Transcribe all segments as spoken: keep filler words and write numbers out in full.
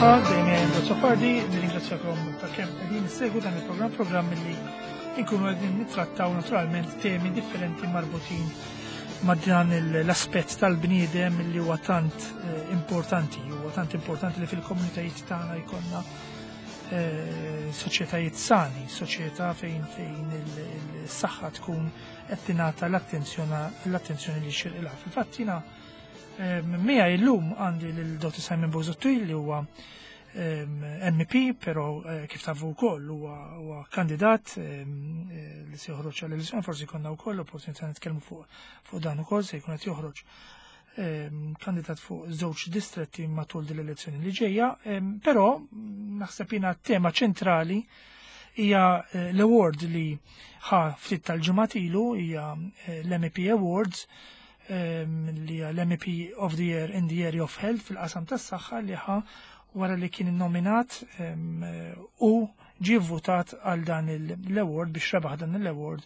Saħħa, dejjem Azzopardi, nirringrazzjakom ta' kemm qegħdin issegwu dan il-programm, programm li nkunu qegħdin nittrattaw naturalment temi differenti marbutin ma' dan l-aspett tal-bniedem li huwa tant eh, importanti, huwa tant importanti li fil-komunitajiet tagħna jkollna eh, soċjetajiet sani, soċjetà fejn fejn il-saħħa tkun qed tingħata l-attenzjoni li xirqilha. Fil-fatt jiena eh, miegħi llum għandi lil Dottor Simon Busuttil li huwa M P, però kif tafu wkoll huwa kandidat li se joħroġ għall-elezzjoni, forsi konna wkoll opportunità nitkellmu fuq dan ukoll, se jkun qed joħroġ kandidat fuq żewġ distretti matul din l-elezzjoni li ġejja, però naħseb jiena tema ċentrali hija l-award li ħa ftit tal-ġimgħat ilu, hija l-M P Awards, li hija l-M P of the Year in the Area of Health fil-qasam tas-saħħa li ħa wara li kien nominat u ġie votat għal dan l-award biex rebaħ dan l-award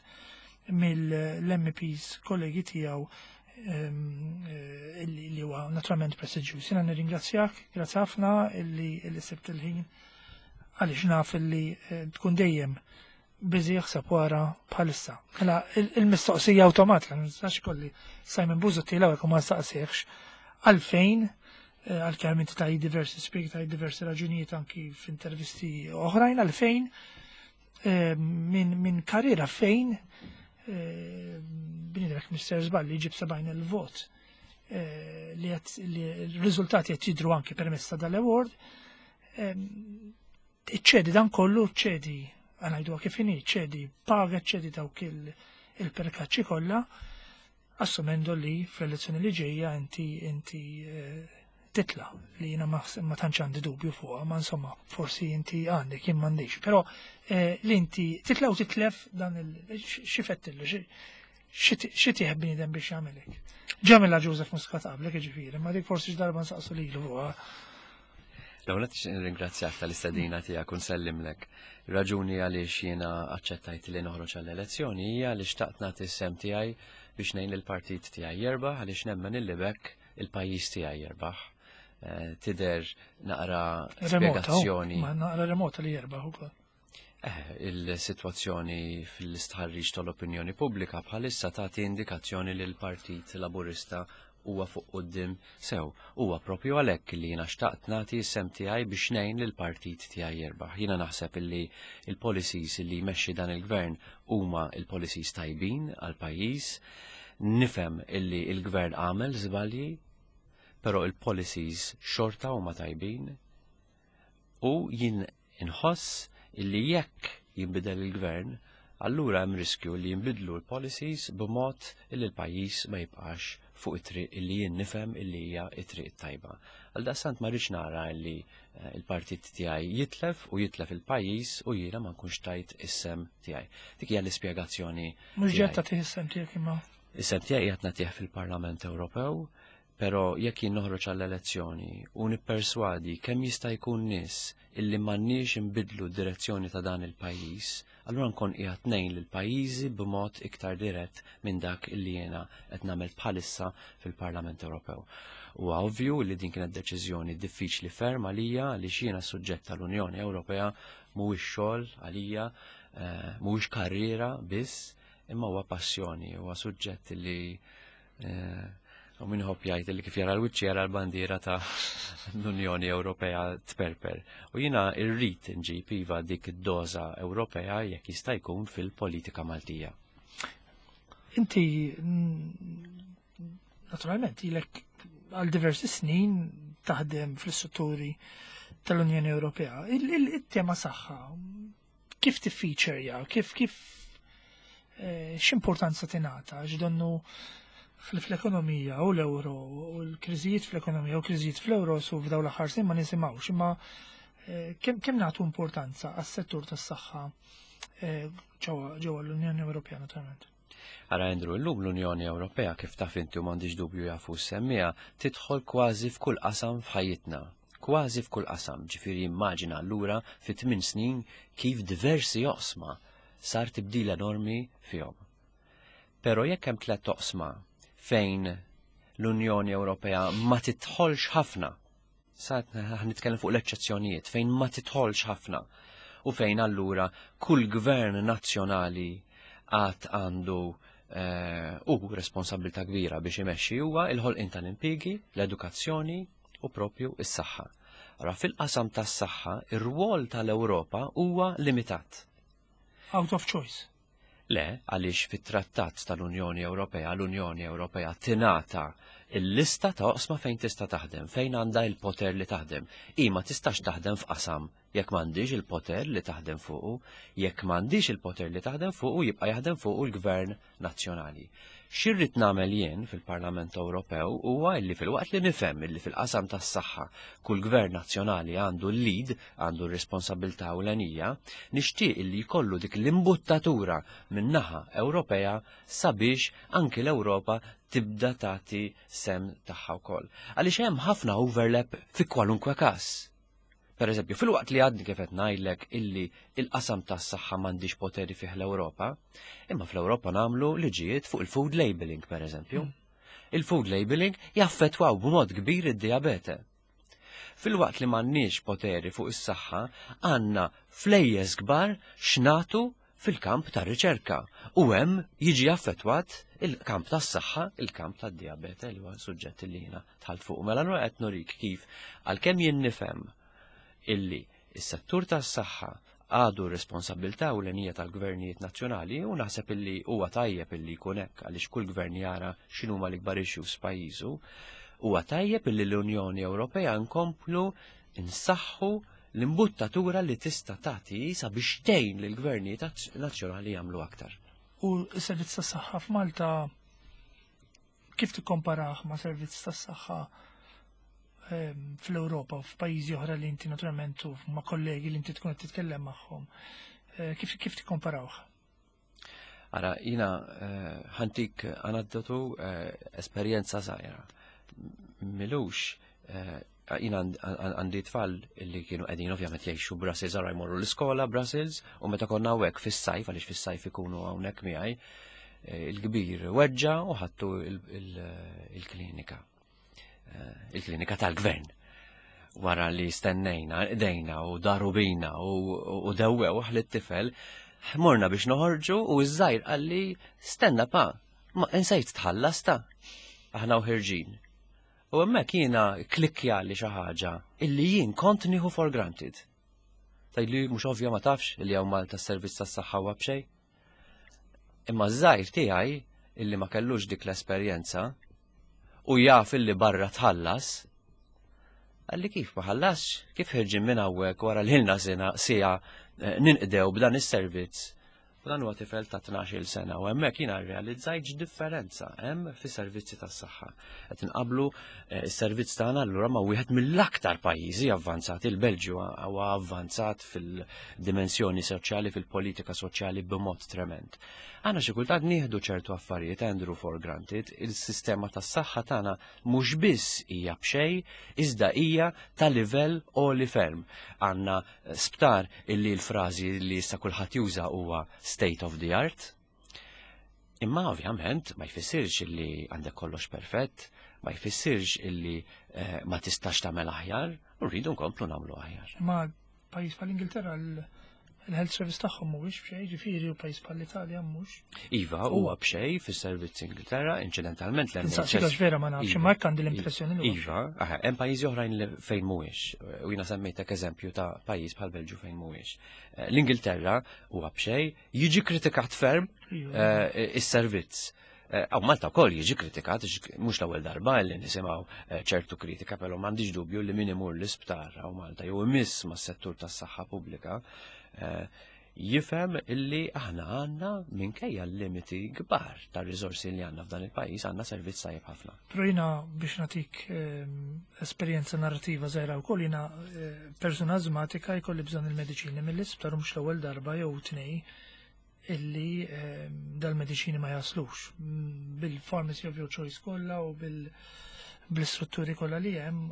mill-M Ps kollegi tiegħu li huwa naturalment prestiġjuż. Jiena nirringrazzjak, grazzi ħafna illi sibt il-ħin għaliex naf illi tkun dejjem busy jaħseb wara bħalissa. Mela il-mistoqsija awtomatika, ma nistax kolli Simon Busuttil hawnhekk u ma nsaqsihx għalfejn, għalkemm inti taj diversi speak, taj diversi raġunijiet anki f'intervisti oħrajn, għalfejn minn min karriera fejn bniedem Mister Żballi jġib sebgħin il-vot li r-riżultati qed jidhru anki permezz ta' dal-award, iċċedi dan kollu, ċedi, għanajdu kif inhi, ċedi paga, ċedi dawk il-perkaċċi kollha, assumendo li fl-elezzjoni li ġejja inti inti titla li jiena ma tantx għandi dubju fuqha, ma insomma forsi inti għandek jien m'għandix, però li inti titla u titlef dan il xi fettillu, xi tieħ bniedem biex jagħmelek. Ġamilha Joseph Muscat qablek jiġifieri, ma dik forsi x'darba nsaqsu lilu fuqha. L-ewwel nett nirringrazzjak tal-istedina tiegħek u nsellimlek. Raġuni għaliex jiena aċċettajt li noħroġ għall-elezzjoni hija li xtaqt nagħti s-sem tiegħi biex ngħin lill-partit tiegħi jerbaħ għaliex nemmen illi bekk il-pajjiż tiegħi jerbaħ. Tidher naqra spjegazzjoni. Ma naqra remota li jerbaħ ukoll. Eh, il-sitwazzjoni fil-istħarriġ tal-opinjoni pubblika bħalissa tagħti indikazzjoni li l-Partit Laburista huwa fuq quddiem sew. Huwa propju għalhekk li jiena xtaqt nagħti s-sem tiegħi biex ngħin lill-partit tiegħi jerbaħ. Jiena naħseb illi il-policies li jmexxi dan il-gvern huma il-policies tajbin għall-pajjiż. Nifhem illi il-gvern għamel żbalji, però il-policies xorta huma tajbin u jien inħoss illi jekk jinbidel il-gvern, allura hemm riskju li jinbidlu l-policies b'mod illi l-pajjiż ma jibqax fuq it-triq illi jien nifhem illi hija t-triq tajba. Għaldaqstant ma rridx nara illi il-partit tiegħi jitlef u jitlef il-pajjiż u jiena ma nkunx tajt is-sem tiegħi. Dik hija l-ispjegazzjoni. Mhux ġed tagħtih is-sem tiegħek imma. Is-sem tiegħi qed nagħtih fil-Parlament Ewropew, però jekk jien noħroġ għall-elezzjoni u nipperswadi kemm jista' jkun nies illi m'għandniex inbidlu d-direzzjoni ta' dan il-pajjiż, allura nkun qiegħed ngħin lill-pajjiżi b'mod iktar dirett minn dak illi jiena qed nagħmel bħalissa fil-Parlament Ewropew. Huwa ovvju li din kienet deċiżjoni diffiċli ferm għalija għaliex jiena suġġett tal-Unjoni Ewropea mhuwiex xogħol għalija, mhuwiex karriera biss, imma huwa passjoni, huwa suġġett li u min iħobb jgħid li kif jara l-wiċċ jara l-bandiera ta' l-Unjoni Ewropea tperper. U jiena rrid nġib iva dik id-doża Ewropea jekk jista' jkun fil-politika Maltija. Inti naturalment ilek għal diversi snin taħdem fl-istrutturi tal-Unjoni Ewropea. Il-tema saħħa kif tiffiċerja, kif kif x'importanza tingħata, x'donnu fl-ekonomija u l-euro u l-kriżijiet fl-ekonomija u kriżijiet fl-euro su f'dawn l-aħħar snin ma nisimgħux, imma kemm nagħtu importanza għas-settur tas-saħħa ġewwa l-Unjoni Ewropea naturalment. Ara Andrew, illum l-Unjoni Ewropea kif taf inti u m'għandix dubju jafu semmija tidħol kważi f'kull qasam f'ħajjitna. Kważi f'kull qasam, ġifieri immaġina allura fi tmien snin kif diversi oqsma sar tibdil enormi fihom. Però jekk hemm tliet oqsma fejn l-Unjoni Ewropea ma tidħolx ħafna Sa nitkellem fuq l-eċċezzjonijiet fejn ma titħolx ħafna u fejn allura kull gvern nazzjonali għad għandu eh, u responsabilità kbira biex imexxi huwa il-ħolqien tal-impjiegi, l-edukazzjoni u propju is-saħħa. Ara fil-qasam tas-saħħa, ir-rwol tal-Ewropa huwa limitat. Out of choice. Le, għaliex fit-trattat tal-Unjoni Ewropea, l-Unjoni Ewropea tingħata il-lista ta' oqsma fejn tista' taħdem, fejn għandha il-poter li taħdem. I ma tistax taħdem f'qasam jekk m'għandix il-poter li taħdem fuqu, jekk m'għandix il-poter li taħdem fuqu jibqa' jaħdem fuqu l-Gvern Nazzjonali. X'irrid nagħmel jien fil-Parlament Ewropew huwa illi filwaqt li nifhem illi fil-qasam tas-saħħa kull gvern nazzjonali għandu l-lead, għandu r-responsabilità ewlenija, nixtieq illi jkollu dik l-imbuttatura min-naħa Ewropea sabiex anki l-Ewropa tibda tagħti sehem tagħha wkoll. Għaliex hemm ħafna overlap fi kwalunkwe każ. Per eżempju, filwaqt li għadni kif qed ngħidlek illi il-qasam tas-saħħa m'għandix poteri fih l-Ewropa, imma fl-Ewropa nagħmlu liġijiet fuq il-food labeling, per eżempju. Il-food labeling jaffettwaw b'mod kbir id-diabete. Filwaqt li m'għandniex poteri fuq is-saħħa, għandna flejjes kbar x'nagħtu fil-kamp ta' riċerka u hemm jiġi affettwat il-kamp tas-saħħa, il-kamp tad-diabete li huwa suġġett li jiena dħalt fuq. Mela allura qed nurik kif għalkemm jien nifhem illi is-settur tas-saħħa għadu responsabilità ewlenija tal-gvernijiet nazzjonali u naħseb illi huwa tajjeb illi jkun hekk għaliex kull gvern jara x'inhuma l-ikbar issues f'pajjiżu, huwa tajjeb illi l-Unjoni Ewropea nkomplu nsaħħu l-imbuttatura li tista' tagħti sabiex tgħin lill-gvernijiet nazzjonali jagħmlu aktar. U s-servizz tas-saħħa f'Malta kif tikkomparah ma' servizz tas-saħħa ehm, fl-Ewropa u f'pajjiżi oħra li inti naturalment u ma' kollegi li inti tkun qed titkellem magħhom? Eh, Kif kif tikkomparawh? Ara, jiena eh, ħa ntik aneddotu eh, esperjenza żgħira. M'ilux, eh, jiena għandi tfal li kienu qegħdin ovvjament jgħixu Brussels, ara jmorru l-iskola Brussels, u meta konna hawnhekk fis-sajf, għaliex fis-sajf ikunu hawnhekk miegħi, eh, il-kbir weġġa u ħadtu il-klinika. Eh, Il-klinika tal-gvern. Wara li stennejna, dejna u daru bina u dewwew lit-tifel, morna biex noħorġu u iż-żgħir qalli stenna pa, ma insejt tħallas ta' aħna u ħerġin. U hemmhekk jiena klikkja li xi ħaġa illi jien kont nieħu for granted. Tgħidli mhux ovvja ma tafx li hawn Malta s-servizz tas-saħħa huwa b'xejn. Imma ż-żgħir tiegħi illi ma kellux dik l-esperjenza u jaf illi barra tħallas, qalli kif ma ħallasx, kif ħerġin minn hawnhekk wara li ilna sena siegħa eh, ninqdew b'dan is-servizz. U dan huwa tifel ta' tnax-il sena u hemmhekk jiena rrealizzajt x'differenza hemm fis-servizzi tas-saħħa. Qed inqablu eh, s-servizz tagħna allura ma' wieħed mill-aktar pajjiżi avvanzati, il-Belġju huwa avvanzat fil-dimensjoni soċjali, fil-politika soċjali b'mod trement. Għandna xi kultant nieħdu ċertu affarijiet Andrew for granted, il-sistema tas-saħħa tagħna mhux biss hija b'xejn, iżda hija ta' livell għoli ferm. Għandna sptar illi l-frażi li issa kulħadd juża huwa state of the art. Imma ovvjament ma jfissirx illi għandek kollox perfett, ma jfissirx illi eh, ma tistax tagħmel aħjar, u rridu nkomplu nagħmlu aħjar. Ma pajjiż bħal-Ingilterra il-health service tagħhom mhuwiex b'xejn, ġifieri u pajjiż bħall-Italja mhux. Iva, huwa b'xejn fis-servizz Ingilterra, inċidentalment l Insaqsik vera ma nafx, imma hekk għandi l-impressjoni li Iva, aha, hemm pajjiżi oħrajn li fejn mhuwiex. U jiena semmejtek eżempju ta' pajjiż bħal Belġju fejn mhuwiex. Eh, L-Ingilterra huwa b'xejn, jiġi kritikat ferm eh, is-servizz. Hawn Malta wkoll jiġi kritikat, mhux l-ewwel darba li nisimgħu eh, ċertu kritika, però m'għandix dubju li min imur l-isptar hawn Malta jew imiss mas-settur tas-saħħa pubblika eh, jifhem illi aħna għandna minkejja l-limiti kbar ta' riżorsi li għandna f'dan il-pajjiż għandna servizz tajjeb ħafna. Però jiena biex nagħtik ehm, esperjenza narrativa żgħira wkoll jiena eh, persuna azmatika jkolli bżonn il-mediċini mill-isptar u mhux l-ewwel darba jew tnej illi ehm, dal-mediċini ma jaslux. Mm, Bil-pharmacy of your choice kollha u bil- bil-strutturi kollha li hemm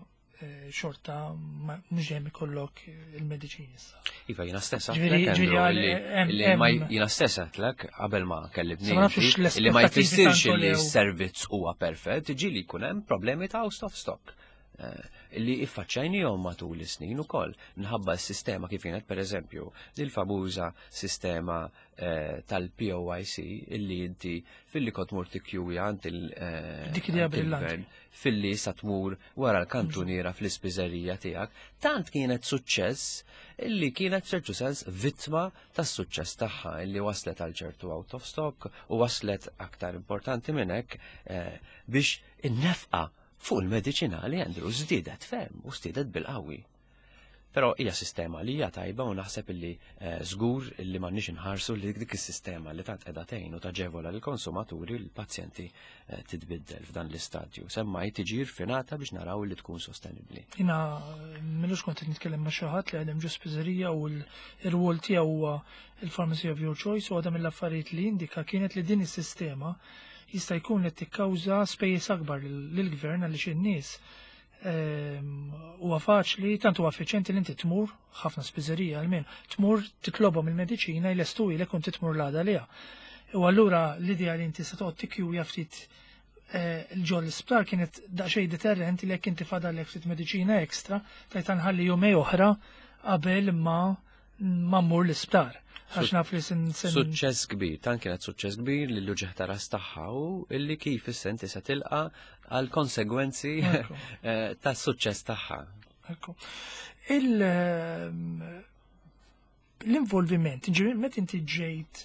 eh, xorta ma- mhux dejjem ikollok il-mediċini issa. Iva, jiena stess Ġifieri- għedtlek, ġifieri Andrew, għal- illi- hemm- illi ma hemm- jiena stess għedtlek qabel ma kellibni Sa ma nafux inti, illi ma l-aspettativi jfissirx tanto illi lew. s-servizz huwa perfett, ġieli jkun hemm problemi ta' out of stock. Eh, li iffaċċajnihom matul is-snin ukoll minħabba s-sistema kif kienet, pereżempju, il-famuża sistema eh, tal-P O I C illi inti filli kont tmur tikkjuja għand il- eh, Dik idea għand brillanti. il-gvern, filli sa tmur wara l-kantuniera fl-ispiżerija tiegħek, tant kienet suċċess illi kienet ċertu sens vittma tas-suċċess tagħha, illi waslet għal ċertu out of stock u waslet, aktar importanti minn hekk, eh, biex in-nefqa fuq il-mediċinali, Andrew, żdiedet ferm u żdiedet bil-qawwi. Però hija sistema li hija tajba u naħseb illi eh, żgur illi m'għandniex inħarsu li dik is-sistema li tant qiegħda tgħin u taġevola lill-konsumaturi, l-pazjenti, eh, titbiddel f'dan l-istadju. Semmai tiġi rfinata biex naraw li tkun sostenibbli. Jiena m'ilux kont qed nitkellem ma' xi ħadd li għadem ġo spiżerija u l-rwol tiegħu huwa il-pharmacy of your choice, u għadha mill-affarijiet li indika kienet li din is-sistema jista' jkun li tikkawża spejjeż akbar lill-gvern, għaliex in-nies ehm, huwa faċli, tant huwa effiċjenti li inti tmur, ħafna spiżerija almenu, tmur titlobhom il-mediċina, jlestu ilek u inti tmur l-għada liha. U allura l-idea li inti se toqgħod tikkjuja ftit eh, ġo l-isptar kienet daqsxejn deterrent li jekk inti fadallek ftit mediċina ekstra, tajt nħalli jumejn oħra qabel ma ma mmur l-isptar. Għax naf li sin sin Suċċess kbir, tant kienet suċċess kbir li l-uġigħ ta' ras tagħha u illi kif is-senti se tilqa għal konsegwenzi Ekku. eh, tas-suċċess tagħha. Ekku. Il ehm, l-involviment, ġifieri meta inti ġejt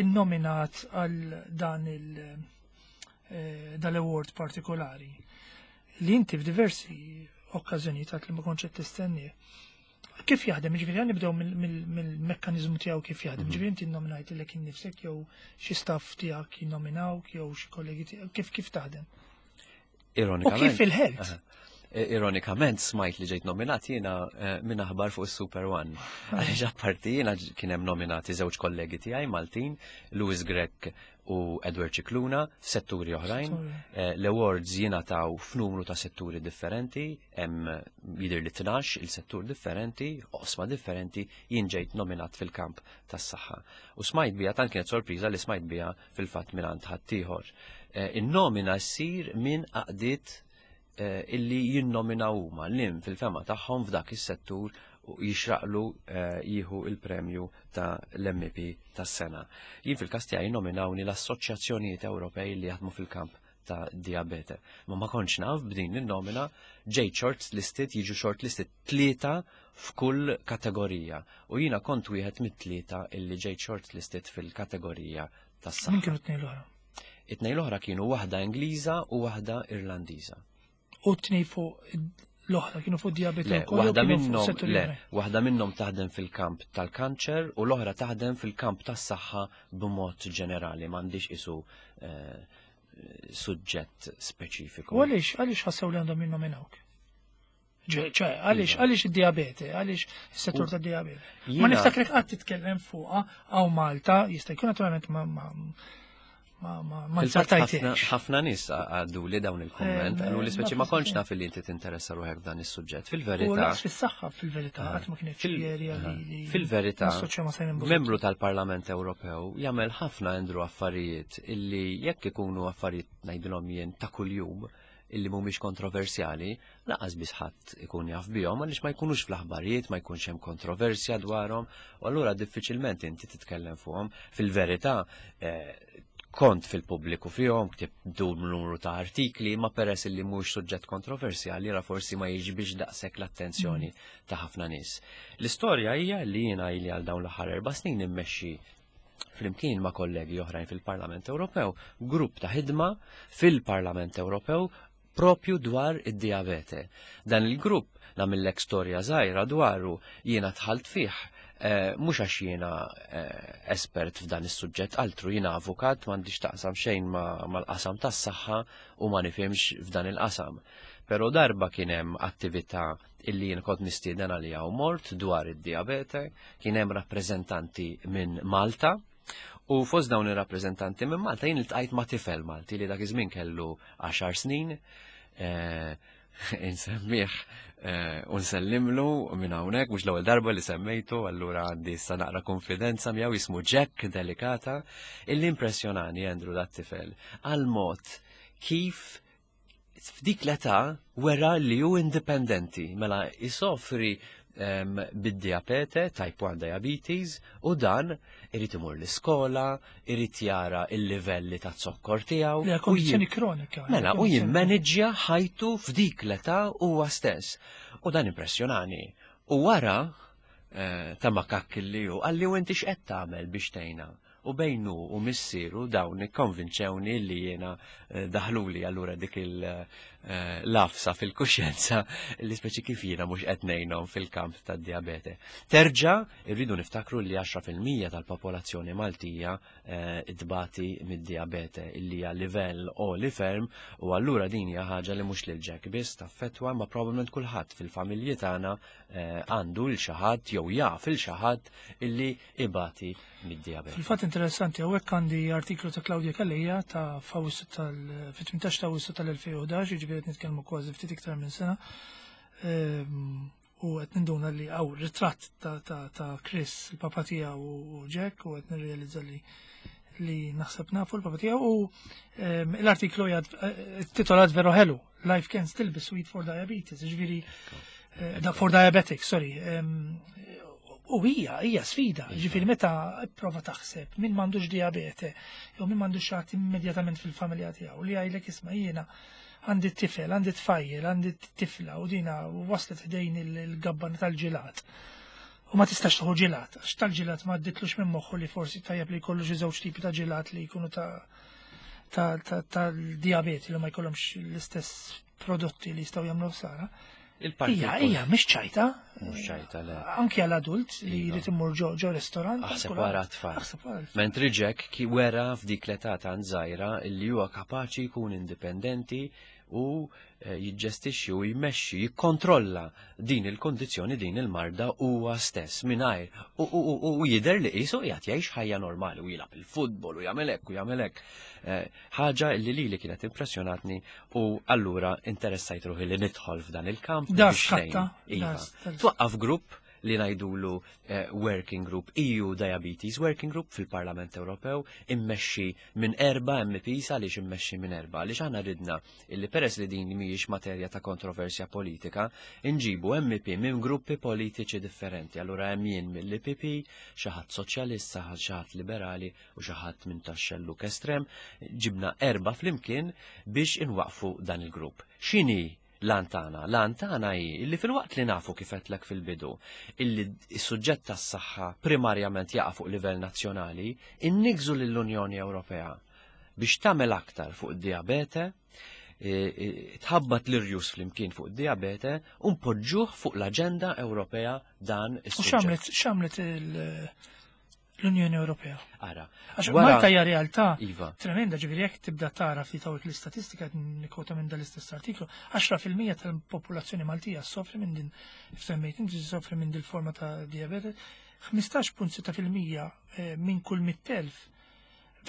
innominat għal dan il eh, dal-award partikolari li inti f'diversi okkażjonijiet għat li ma kontx qed tistenni. Kif jaħdem? Ġifieri nibdew mill-mekkaniżmu tiegħu kif jaħdem. Mhm. Ġifieri inti nnominajt lilek innifsek jew xi staff tiegħek jinnominawk jew xi kollegi tiegħek, kif kif taħdem? U Ironikament. kif il-health? Aha. Ironikament smajt li ġejt nominat jiena eh, minn aħbar fuq Super One. Għaliex apparti jiena ġ- kien hemm nominati żewġ kollegi tiegħi Maltin, Louis Grech u Edward Scicluna, f'setturi oħrajn. Setturi. Eh, L-awards jingħataw f'numru ta' setturi differenti, hemm jidher li tnax il-settur differenti, oqsma differenti, jien ġejt nominat fil-kamp tas-saħħa. U smajt bija, tant kienet sorpriża li smajt bija fil-fatt minn ħaddieħor. Eh, In-nomina ssir minn għaqdiet eh, illi jinnominaw huma lim fil-fehma tagħhom f'dak is-settur u jixraqlu eh, jieħu il-premju ta' l-M E P tas-sena. Jien fil-każ tiegħi nominawni l-assoċjazzjonijiet Ewropej li jaħdmu fil-kamp ta' diabete. Ma ma kontx naf b'din il-nomina, ġejt short listed, jiġu short listed tlieta f'kull kategorija. U jiena kont wieħed mit-tlieta illi ġejt short listed fil-kategorija tas-saħħa. Min kienu t-tnejn l-oħra? It-tnejn l-oħra kienu waħda Ingliża u waħda Irlandiża. U t-tnejn fuq l-oħra kienu fuq diabete Le, wkoll jew waħda kienu fuq minnhom setturi le, oħrajn? waħda minnhom taħdem fil-kamp tal-kanċer u l-oħra taħdem fil-kamp tas-saħħa b'mod ġenerali, m'għandix isu eh, suġġett speċifiku. U għaliex għaliex ħassew li għandhom jinnominawk? Ġe- ċe, għaliex Iva. għaliex id-diabete, għaliex is-settur U- ta' diabete? Ma Jiena- niftakrek qatt titkellem fuqha hawn Malta, jista' jkun naturalment ma ma ma ma ma Fil-fatt ħafna nzartajtiex. ħafna nies għaddu li dawn il-komment, Eh, għallu li speċi ma ma kontx naf li inti tinteressa ruħek f'dan is-suġġett. U Fil-verità, lanqas fis-saħħa fil-verità qatt ma kienet xi area li li fil-verità, nassoċja ma' Simon Busuttil. membru tal-Parlament Ewropew jagħmel ħafna, Andrew, affarijiet illi jekk ikunu affarijiet, ngħidilhom jien, ta' kuljum, illi mhumiex kontroversjali, lanqas biss ħadd ikun jaf bihom għaliex ma jkunux fl-aħbarijiet, ma jkunx hemm kontroversja dwarhom, u allura diffiċilment inti titkellem fuqhom. Fil-verità, eh, kont fil-pubbliku fihom, ktibt numru ta' artikli, ma peress illi mhux suġġett kontroversjali, ra forsi ma jiġbix daqshekk l-attenzjoni ta' ħafna nies. L-istorja hija li jiena ili għal dawn l-aħħar erba' snin immexxi flimkien ma' kollegi oħrajn fil-Parlament Ewropew grupp ta' ħidma fil-Parlament Ewropew propju dwar id-diabete. Dan il-grupp, nagħmillek storja żgħira dwaru, jiena dħalt fih eh, mhux għax jiena eh, espert f'dan is-suġġett, altru, jiena avukat, m'għandix taqsam xejn ma- mal-qasam tas-saħħa u ma nifhimx f'dan il-qasam. Però darba kien hemm attività illi jien kont mistieden għalija u mort dwar id-diabete, kien hemm rappreżentanti minn Malta. U fost dawn ir-rappreżentanti minn Malta jien iltqajt ma' tifel Malti li dak iż-żmien kellu għaxar snin, eh, insemmih eh, u nsellimlu minn hawnhekk, mhux l-ewwel darba li semmejtu, allura għandi issa naqra konfidenza miegħu, jismu Jack Delicata, illi impressjonani, Andrew, dat tifel għal mod kif F'dik l-età wera li hu indipendenti, mela jisofri um, bid-diabete, type one diabetes, u dan irid imur l-iskola, irid jara il-livelli ta' zokkor tiegħu. Li kondizzjoni kronika. Mela, u jimmanġja ħajtu f'dik l-età huwa stess. U dan impressjonani. U wara eh, ta' makak li hu, qalli, "U inti x'qed tagħmel biex tgħinna?" U bejnu u missieru dawn ikkonvinċewni li jiena eh, daħluli allura dik il-lafsa fil-kuxjenza li speċi kif jiena mhux qed ngħinhom fil-kamp tad-diabete. Terġa' irridu niftakru li għaxra fil-mija tal-popolazzjoni Maltija eh, tbati mid-diabete, illi hija livell għoli ferm, u allura din hija ħaġa li mhux lil Jack biss taffettwa, ma probabbilment kulħadd fil-familji tagħna eh, għandu l xi ħadd jew jaf il xi ħadd illi ibati mid-diabete. Fil-fatt interessanti, hawnhekk għandi artiklu ta' Claudia Calleja ta' f'Awwissu tal fit-tmintax ta' Awwissu tal-elfejn u ħdax, jiġifieri qed nitkellmu kważi ftit iktar minn sena. Ehm, U qed ninduna li hawn ritratt ta' ta' ta' Chris, il-papa tiegħu, u Jack, u qed nirrealizza li li naħseb nafu l-papa tiegħu, u ehm, l-artiklu jgħad eh, titolat veru ħelu, "Life can still be sweet for diabetes", jiġifieri eh, da- for diabetics, sorry. Ehm, U hija, hija sfida, ġifieri meta prova taħseb min m'għandux diabete, jew min m'għandux xi ħadd immedjatament fil-familja tiegħu li jgħidlek, "Isma', jiena għandi tifel, għandi tfajjel, għandi tifla u dina waslet ħdejn il-gabbana tal-ġilat. U ma tistax tieħu ġilat, għax tal-ġilat ma għadditlux minn moħħu li forsi tajjeb li jkollu xi żewġ tipi ta' ġilat li jkunu ta' ta' ta' tal-diabeti li ma jkollhomx l-istess prodotti li jistgħu jagħmlu ħsara." Il-parti Ija, ija, mhix ċajta. Mhux ċajta, le. Anki għal adult li Iva. jrid imur ġo ġo restorant. Aħseb kulħadd. wara tfal. Aħseb wara tfal. Mentri Jack ki wera f'dik l-età tant żgħira illi huwa kapaċi jkun indipendenti u eh, jiġġestixxi u jmexxi, jikkontrolla din il-kondizzjoni, din il-marda huwa stess mingħajr u, u, u, u jidher li qisu qiegħed jgħix ħajja normali u jilgħab il-futbol u jagħmel hekk u jagħmel hekk. Eh, Ħaġa li lili kienet impressjonatni u allura interessajt ruħi li nidħol f'dan il-kamp Da biex skatta, ngħin. Iva. da- da- Twaqqaf grupp li ngħidulu eh, Working Group, E U Diabetes Working Group fil-Parlament Ewropew, immexxi minn erba' M Ps. Għaliex immexxi minn erba'? Għaliex aħna ridna illi peress li din mhijiex materja ta' kontroversja politika, inġibu M P minn gruppi politiċi differenti. Allura hemm jien mill-I P P, xi ħadd soċjalist, xi ħadd liberali u xi ħadd minn tax-xelluk estrem. Ġibna erba' flimkien biex inwaqfu dan il-grupp. X'inhi l-għan tagħna? L-għan tagħna hi illi filwaqt li nafu, kif għedtlek fil-bidu, illi s-suġġett tas-saħħa primarjament jaqa' fuq livell nazzjonali, innigżu lill-Unjoni Ewropea biex tagħmel aktar fuq id-diabete, e, e, tħabbat l-irjus flimkien fuq id-diabete u npoġġuh fuq l-aġenda Ewropea dan U is-suġġett. x'għamlet x'għamlet il- l-Unjoni Ewropea? Ara, Għax wara- Malta hija realtà Iva. tremenda, ġifieri jekk tibda tara ftit hawnhekk l-istatistika, qed nikkwota minn dal-istess artiklu, għaxra fil-mija tal-popolazzjoni Maltija soffri minn din, semmejt inti, soffri minn din forma ta' diabete, ħmistax punt sitta fil-mija eh, minn kull mitt elf,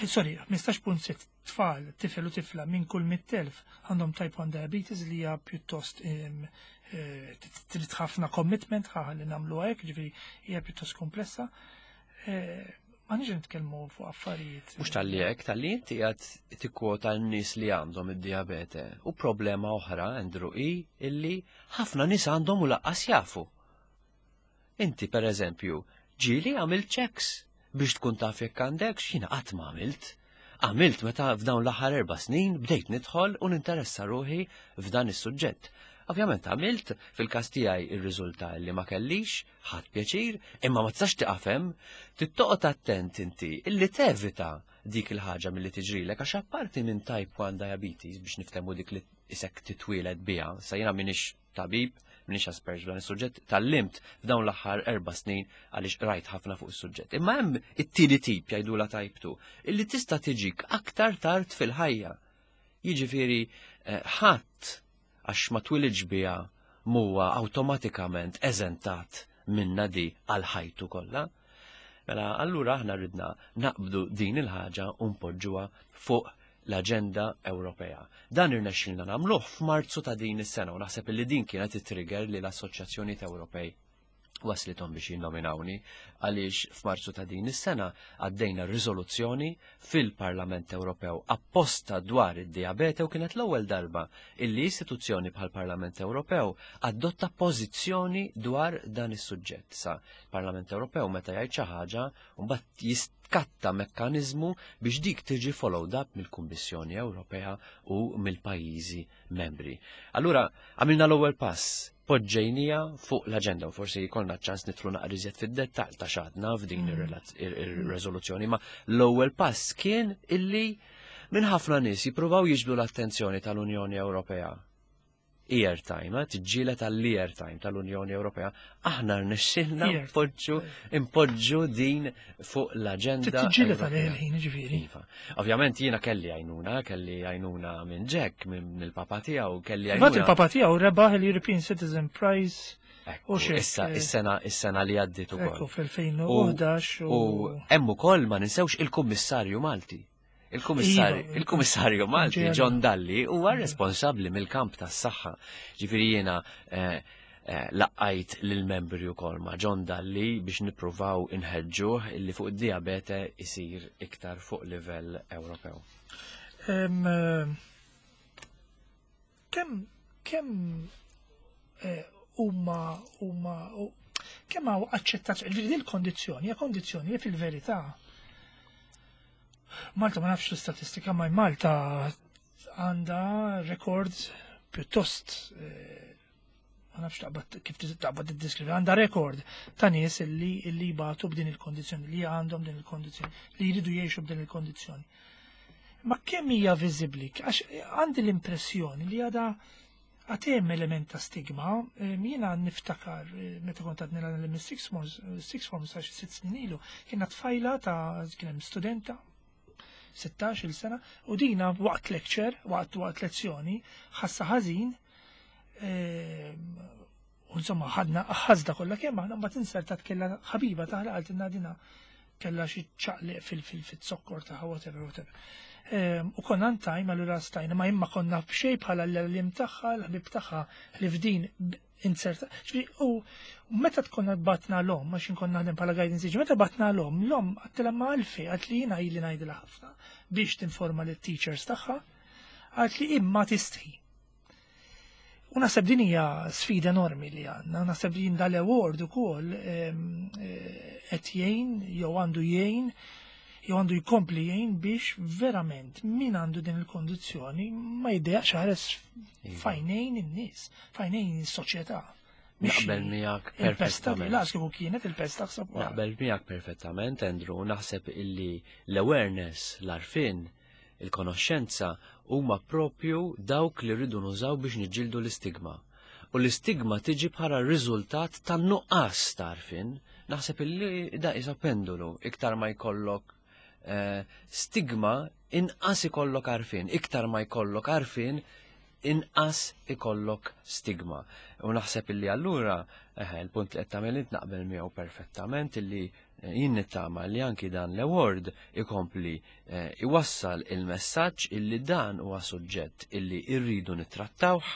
sorry, ħmistax punt sitta tfal, tifel u tifla minn kull mitt elf għandhom type one diabetes, li hija pjuttost em, eh, trid ħafna commitment ħa li nagħmlu hekk, ġifieri hija pjuttost komplessa. Eh, Ma niġi nitkellmu fuq affarijiet. Mhux talli hekk, talli inti qed tikkwota n-nies li għandhom id-diabete. U problema oħra, Andrew, hi illi ħafna nies għandhom u lanqas jafu. Inti, per eżempju, ġieli għamilt checks biex tkun taf jekk għandek? Jiena qatt ma għamilt. Għamilt meta f'dawn l-aħħar erba' snin bdejt nidħol u ninteressa ruħi f'dan is-suġġett. Ovvjament għamilt, fil-każ tiegħi ir-riżulta li ma kellix, ħadt pjaċir, imma ma tistax tiqaf hemm, trid toqgħod attent inti illi tevita dik il-ħaġa milli tiġrilek, għax apparti minn type one diabetes, biex niftehmu, dik li isek titwieled biha, sa jiena m'iniex tabib, m'iniex espert f'dan is-suġġett, tgħallimt f'dawn l-aħħar erba' snin għaliex rajt ħafna fuq is-suġġett. Imma hemm it-tieni tip, jgħidula type two, illi tista' tiġik aktar tard fil-ħajja. Jiġifieri eh, ħadd għax ma twilidx biha muwa awtomatikament eżentat minna di għal ħajtu kollha. Mela allura aħna ridna naqbdu din il-ħaġa u npoġġuha fuq l-aġenda Ewropea. Dan irnexxilna nagħmluh f'Marzu ta' din is-sena u naħseb li din kienet it-trigger li l-assoċjazzjonijiet Ewropej Waslithom biex jinnominawni għaliex f'Marzu ta' din is-sena għaddejna riżoluzzjoni fil-Parlament Ewropew apposta dwar id-diabete u kienet l-ewwel darba illi istituzzjoni bħal Parlament Ewropew adotta pożizzjoni dwar dan is-suġġett. Sa Parlament Ewropew meta jgħid xi ħaġa mbagħad jiskatta mekkaniżmu biex dik tiġi followed up mill-Kummissjoni Ewropea u mill-pajjiżi membri. Allura għamilna l-ewwel pass, poġġejnieha fuq l-agenda u forsi jkollna ċans nidħlu naqra iżjed fid-dettall ta' x'għedna f'din ir-reżoluzzjoni, ma l-ewwel pass kien illi minn ħafna nies jippruvaw jiġbdu l-attenzjoni tal-Unjoni Ewropea. Airtime, eh, tiġġieled tal-airtime tal-Unjoni Ewropea, aħna rnexxilna impoġġu impoġġu din fuq l-aġenda. Tiġġieled tal-ħin, ġifieri. Iva. Ovvjament jiena kelli għajnuna, kelli għajnuna minn Jack, minn il-papa tiegħu, kelli għajnuna. Il-papa tiegħu rebaħ il-European Citizen Prize. Issa, is-sena, is-sena li għaddit ukoll. Ekku, fl-elfejn u ħdax. U hemm ukoll ma ninsewx il-Kummissarju Malti. Il-Kummissarju Iva, il-Kummissarju Malti Ġera. John Dalli huwa responsabbli mill-kamp tas-saħħa. Ġifieri jiena eh, eh, ltqajt lill-membri wkoll ma' John Dalli biex nippruvaw inħeġġuh illi fuq id-diabete isir iktar fuq livell Ewropew. Em, eh, Kemm kemm eh, huma huma u- kemm hawn aċċettazzjoni, ġifieri din il-kondizzjoni hija kondizzjoni li fil-verità Malta, ma nafx l-istatistika, ma Malta għandha rekord pjuttost eh, ma nafx taqbad kif taqbad tiddeskrivi, għandha rekord ta' nies illi illi jbatu b'din il-kondizzjoni, li għandhom din il-kondizzjoni, li jridu jgħixu b'din il-kondizzjoni. Ma kemm hija viżibbli? Għax għandi l-impressjoni li għada għad hemm element ta' stigma. eh, jiena niftakar eh, meta kont għadni l six forms, six forms għax sitt snin ilu, kiena tfajla ta' kien hemm studenta sittax-il sena u dina waqt lecture, waqt waqt lezzjoni, ħassa ħażin, eh, u insomma ħadna ħażda kollha kemm aħna, mbagħad insertat kellha ħabiba taħla qaltilna dina kellha xi ċaqliq fil-fil-zokkor tagħha, whatever, whatever. Ehm, U konna antajm allura stajna, ma imma konna b'xej bħala l-għalliem tagħha, l-ħbib tagħha li f'din b- inserta. Ġifieri, u meta tkonna bgħatna l-omm, għax inkonna naħdem bħala guidance teacher, meta bgħatna l-omm, l-omm għedtilha ma għalfejn, għalt li jiena ili ngħidilha ħafna biex tinforma lit-teachers tagħha, għalt li imma tistħi. U naħseb din hija sfida enormi li għandna, naħseb din dal-award ukoll ehm, eh, qed jgħin jew għandu jgħin jew għandu jkompli jgħin biex verament min għandu din il-kondizzjoni ma jiddejjaqx iħares f'għajnejn in-nies, f'għajnejn is-soċjetà. Mhix Naqbel miegħek il-pesta li perfettament. las kieku kienet il-pesta ħsab. Naqbel miegħek perfettament, Andrew, naħseb illi l-awareness, l-għarfien, il-konoxxenza huma propju dawk li rridu nużaw biex niġġieldu l-istigma. U l-istigma tiġi bħala riżultat tan-nuqqas ta' għarfien. Naħseb illi da isa pendulu, iktar ma jkollok eh, stigma, inqas ikollok għarfien, iktar ma jkollok għarfien, inqas ikollok stigma. U naħseb illi allura, eh, il-punt li qed tagħmel int naqbel miegħu perfettament, illi eh, jien nittama li anki dan l-award ikompli eh, iwassal il-messaġġ illi dan huwa suġġett illi irridu nittrattawh,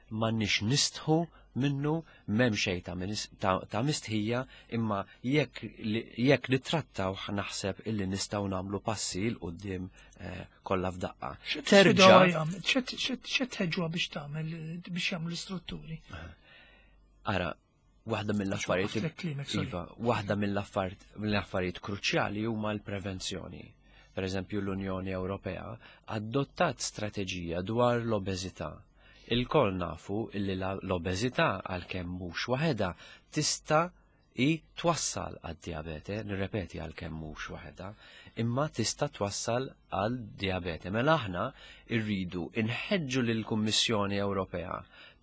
m'għandniex nistħu minnu, m'hemm xejn ta' minis- ta' ta' mistħija, imma jekk li- jekk nittrattawh naħseb illi nistgħu nagħmlu passi 'l quddiem eh, kollha f'daqqa. Terġa' X'tħeġġuha biex tagħmel, biex jagħmlu l-istrutturi? Ara, waħda mill-affarijiet Waqflek klimek, sorry. Iva, waħda mill-affarijiet mill-affarijiet kruċjali huma l-prevenzjoni. Per eżempju, l-Unjoni Ewropea adottat strateġija dwar l-obeżità. Ilkoll nafu illi la- l-obeżità, għalkemm mhux waħedha, tista' i twassal għad-diabete, nirrepeti, għalkemm mhux waħedha, imma tista' twassal għal diabete. Mela aħna rridu inħeġġu lill-Kummissjoni Ewropea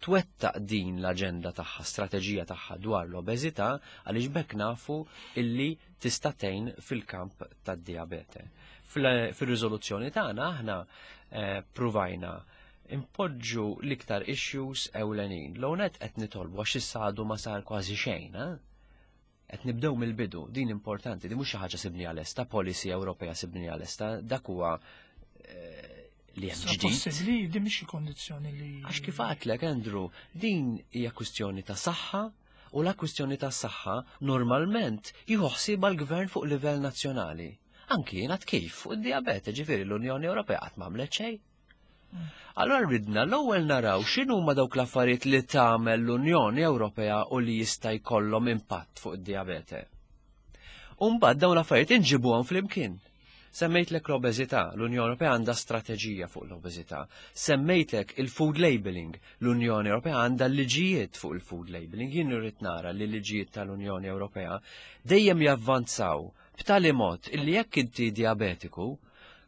twettaq din l-aġenda tagħha, strateġija tagħha dwar l-obeżità, għaliex bekk nafu illi tista' tgħin fil-kamp tad-diabete. Fil- Fir-riżoluzzjoni tagħna aħna eh, pruvajna impoġġu l-iktar issues ewlenin. L-ewwel qed nitolbu, għax issa għadu ma sar kważi xejn, eh? Qed nibdew mill-bidu, din importanti, din mhux xi ħaġa sibnieha lesta, policy Ewropea sibnieha lesta, dak huwa eh, li hemm Sa ġdid. possibbli din mhix xi kondizzjoni li. Għax kif għedtlek, Andrew, din hija kwistjoni ta' saħħa U la kwistjoni tas-saħħa normalment jieħu ħsiebha l-gvern fuq livell nazzjonali. Anki jiena kif fuq id-diabete, ġifieri l-Unjoni Ewropea qatt m'għamlet xejn. Allora ridna l-ewwel naraw x'inhuma dawk l-affarijiet li tagħmel l-Unjoni Ewropea u li jista' jkollhom impatt fuq id-diabete. U mbagħad dawn l-affarijiet inġibuhom flimkien. Semmejtlek l-obeżità, l-Unjoni Ewropea għandha strateġija fuq l-obeżità. Semmejtlek il-food labeling, l-Unjoni Ewropea għandha liġijiet fuq il-food labeling. Jien irrid nara li liġijiet tal-Unjoni Ewropea dejjem javvanzaw b'tali mod illi jekk inti diabetiku,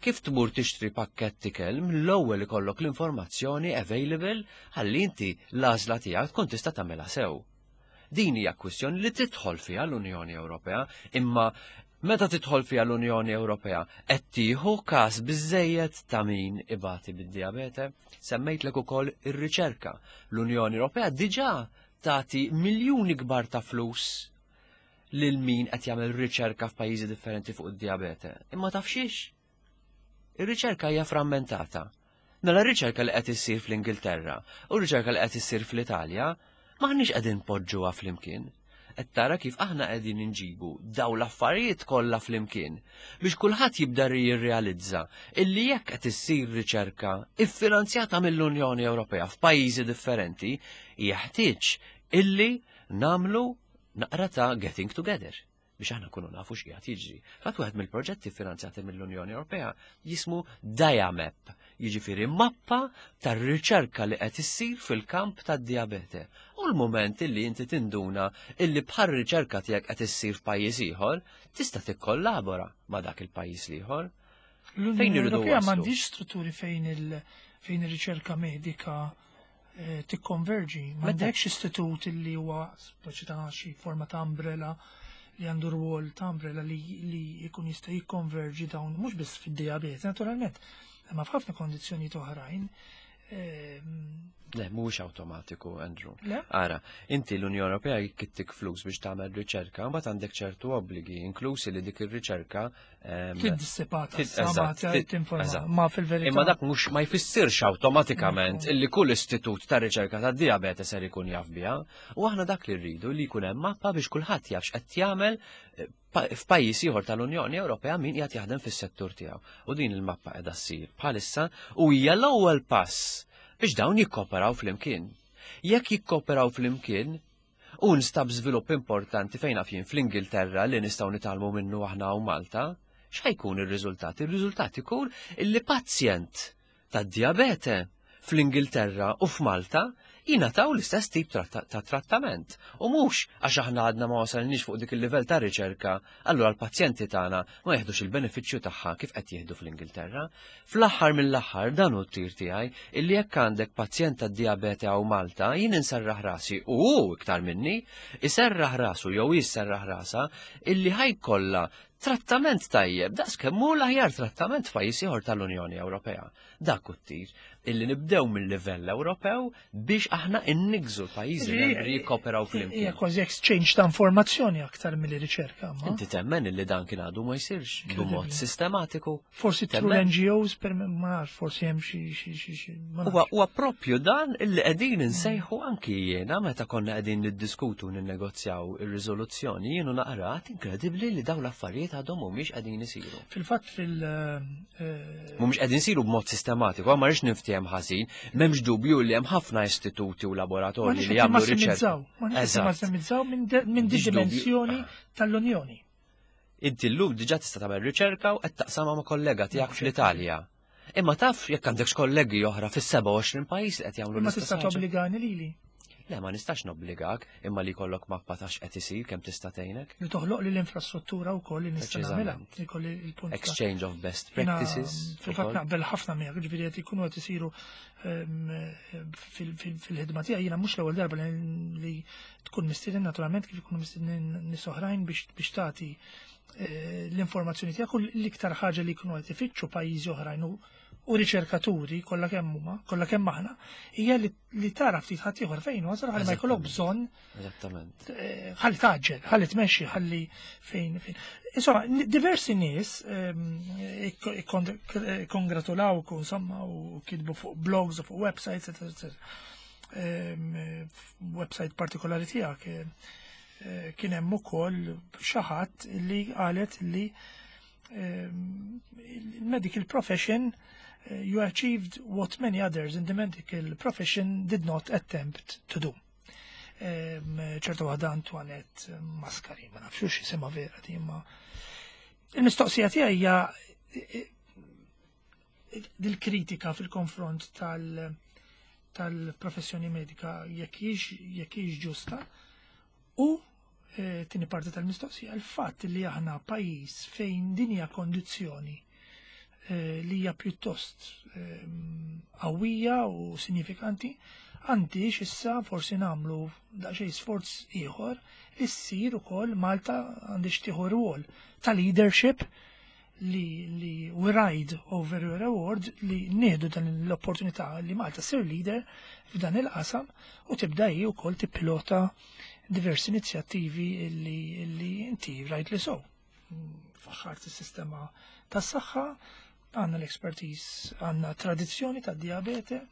kif tmur tixtri pakkett ikel, mill-ewwel ikollok l-informazzjoni available ħalli inti l-għażla tiegħek tkun tista' tagħmilha sew. Din hija kwistjoni li tidħol fiha l-Unjoni Ewropea, imma meta tidħol fiha l-Unjoni Ewropea qed tieħu każ biżejjed ta' min ibati bid-diabete. Semmejtlek ukoll ir-riċerka. L-Unjoni Ewropea diġà tagħti miljuni kbar ta' flus lil min qed jagħmel riċerka f'pajjiżi differenti fuq id-diabete. Imma taf xiex? Ir-riċerka hija frammentata. Mela r-riċerka li qed issir fl-Ingilterra u r-riċerka li qed issir fl-Italja m'aħniex qegħdin poġġuha flimkien. Qed tara kif aħna qegħdin inġibu daw l-affarijiet kollha flimkien biex kulħadd jibda jirrealizza illi jekk qed issir riċerka iffinanzjata mill-Unjoni Ewropea f'pajjiżi differenti, jeħtieġ illi namlu naqra ta' getting together biex aħna kunu nafu x'qiegħed jiġri. Fatt wieħed mill-proġetti finanzjati mill-Unjoni Ewropea jismu DiaMap, jiġifieri mappa tar-riċerka li qed issir fil-kamp tad-diabete. U l-moment illi inti tinduna illi bħal riċerka tiegħek qed issir f'pajjiż ieħor, tista' tikkollabora ma' dak il-pajjiż l-ieħor. L-Unjoni Ewropea m'għandix strutturi fejn il fejn ir-riċerka medika eh, tikkonverġi. M'għandekx istitut illi huwa speċi ta' xi forma ta' umbrella li għandu rwol ta' umbrella li, li jkun jista' jikkonverġi dawn mhux biss fid-diabete naturalment, imma f'ħafna kondizzjonijiet oħrajn. Ehm, Le, mhuwiex awtomatiku, Andrew. Le? Ara, inti l-Unjoni Ewropea jittik flus biex tagħmel riċerka, mbagħad għandek ċertu obbligi, inklusi li dik ir-riċerka ehm, Tiddissipata, tid- sa ma eżatt, tid- tinforma, eżatt. ma fil-verità. Imma dak mhux ma jfissirx awtomatikament illi kull istitut ta' riċerka ta' diabete ser ikun jaf biha. U aħna dak li rridu li jkun hemm mappa biex kulħadd jaf x'qed jagħmel eh, pa- f'pajjiż ieħor tal-Unjoni Ewropea min qiegħed jaħdem fis-settur tiegħu. U din il-mappa qiegħda ssir bħalissa u hija l-ewwel pass biex dawn jikkoperaw flimkien. Jekk jikkoperaw flimkien, u nstab żvilupp importanti fejn naf jien fl-Ingilterra li nistgħu nitgħallmu minnu aħna u Malta, x'ħajkun ir-riżultat? Ir-riżultat ikun illi pazjent tad-diabete fl-Ingilterra u f'Malta jingħataw l-istess tip tratta- ta' trattament. U mhux għax aħna għadna ma wasalniex fuq dik il-livell ta' riċerka, allura l-pazjenti tagħna ma jeħdux il-benefiċċju tagħha kif qed jieħdu fl-Ingilterra. Fl-aħħar mill-aħħar dan hu t-tir tiegħi illi jekk għandek pazjent tad-diabete hawn Malta, jien inserraħ rasi u hu iktar minni, iserraħ rasu jew jisserraħ rasa illi ħa jkollha trattament tajjeb, daqs kemm hu l-aħjar trattament f'pajjiż ieħor tal-Unjoni Ewropea. Dak hu t-tir illi nibdew mill-livell Ewropew biex aħna innigżu l-pajjiżi membri jikkoperaw Hija flimkien. kważi exchange ta' informazzjoni aktar milli riċerka, ma. Inti temmen illi dan kien għadu ma jsirx b'mod Incredibly. sistematiku. Forsi through Temmen? N G Os, per ma nafx, forsi hemm xi xi xi xi. Ma Huwa nafx. huwa propju dan illi qegħdin insejħu anki jiena meta konna qegħdin niddiskutu, ninnegozjaw ir-riżoluzzjoni, jienu naqrat inkredibbli li dawn l-affarijiet għadhom mhumiex qegħdin isiru. Fil-fatt fil- eh, Mhumiex qegħdin isiru b'mod sistematiku, ma rridx niftiehem ħażin, m'hemmx dubju li hemm ħafna istituti u Ma laboratorji nix li jagħmlu riċerka. massimizzaw, ma nix Eżatt. massimizzaw minn de- minn di M'għandix dubju. dimensjoni tal-Unjoni. Inti llum diġà tista' tagħmel riċerka u qed taqsamha ma' kollega tiegħek fl-Italja. Imma taf jekk għandekx kollegi oħra fis-sebgħa u għoxrin pajjiż li qed jagħmlu Ma l-istess tista' ħaġa. tobbligani lili Le, ma nistax nobbligak, imma li jkollok mappa ta' x'qed isir kemm tista' tgħinek. Li toħloq li l-infrastruttura wkoll li nista' nagħmilha. Preċiżament. Li kolli il-punt ta' Exchange of best Jiena, practices. Fil-fatt ukoll. naqbel ħafna miegħek, ġifieri qed ikunu qed isiru ehm, fil- fil- fil-ħidma tiegħi jiena mhux l-ewwel darba li li tkun mistieden, naturalment kif ikunu mistiednin nies oħrajn biex biex tagħti eh, l-informazzjoni tiegħek, u l-iktar ħaġa li jkunu qed ifittxu pajjiżi oħrajn u u riċerkaturi kollha kemm huma, kollha kemm aħna, hija li, li tara ftit ħadd ieħor fejn wasal ħalli ma jkollok bżonn Eżattament. eh, ħalli taġġel, ħalli tmexxi, ħalli fejn fejn. Insomma, n- diversi nies ehm, ikko- ikkon- kongratulawk insomma u kitbu fuq blogs u fuq websites, eccetera, eccetera. Website partikolari tiegħek eh, kien hemm ukoll xi ħadd li qalet li il-medical profession, eh, you achieved what many others in the medical profession did not attempt to do. ċertu waħda Antoinette Mascari, ma nafx x'jisimha vera di, imma il-mistoqsija tiegħi hija eh, dil-kritika fil-konfront tal- tal-professjoni medika jekk hix ġusta u eh, tieni parti tal-mistoqsija, il-fatt li aħna pajjiż fejn din hija kondizzjoni eh, li hija pjuttost qawwija u sinifikanti, għandix issa forsi nagħmlu daqsxejn sforz ieħor li ssir ukoll Malta għandix tieħu rwol ta' leadership li li we ride over your award, li nieħdu dan l-opportunità li Malta ssir leader f'dan il-qasam u tibda hi wkoll tippilota diversi inizjattivi li, li inti rajt li so. Faħħart is-sistema tas-saħħa, għandna l-expertise, għandna tradizzjoni ta' diabete,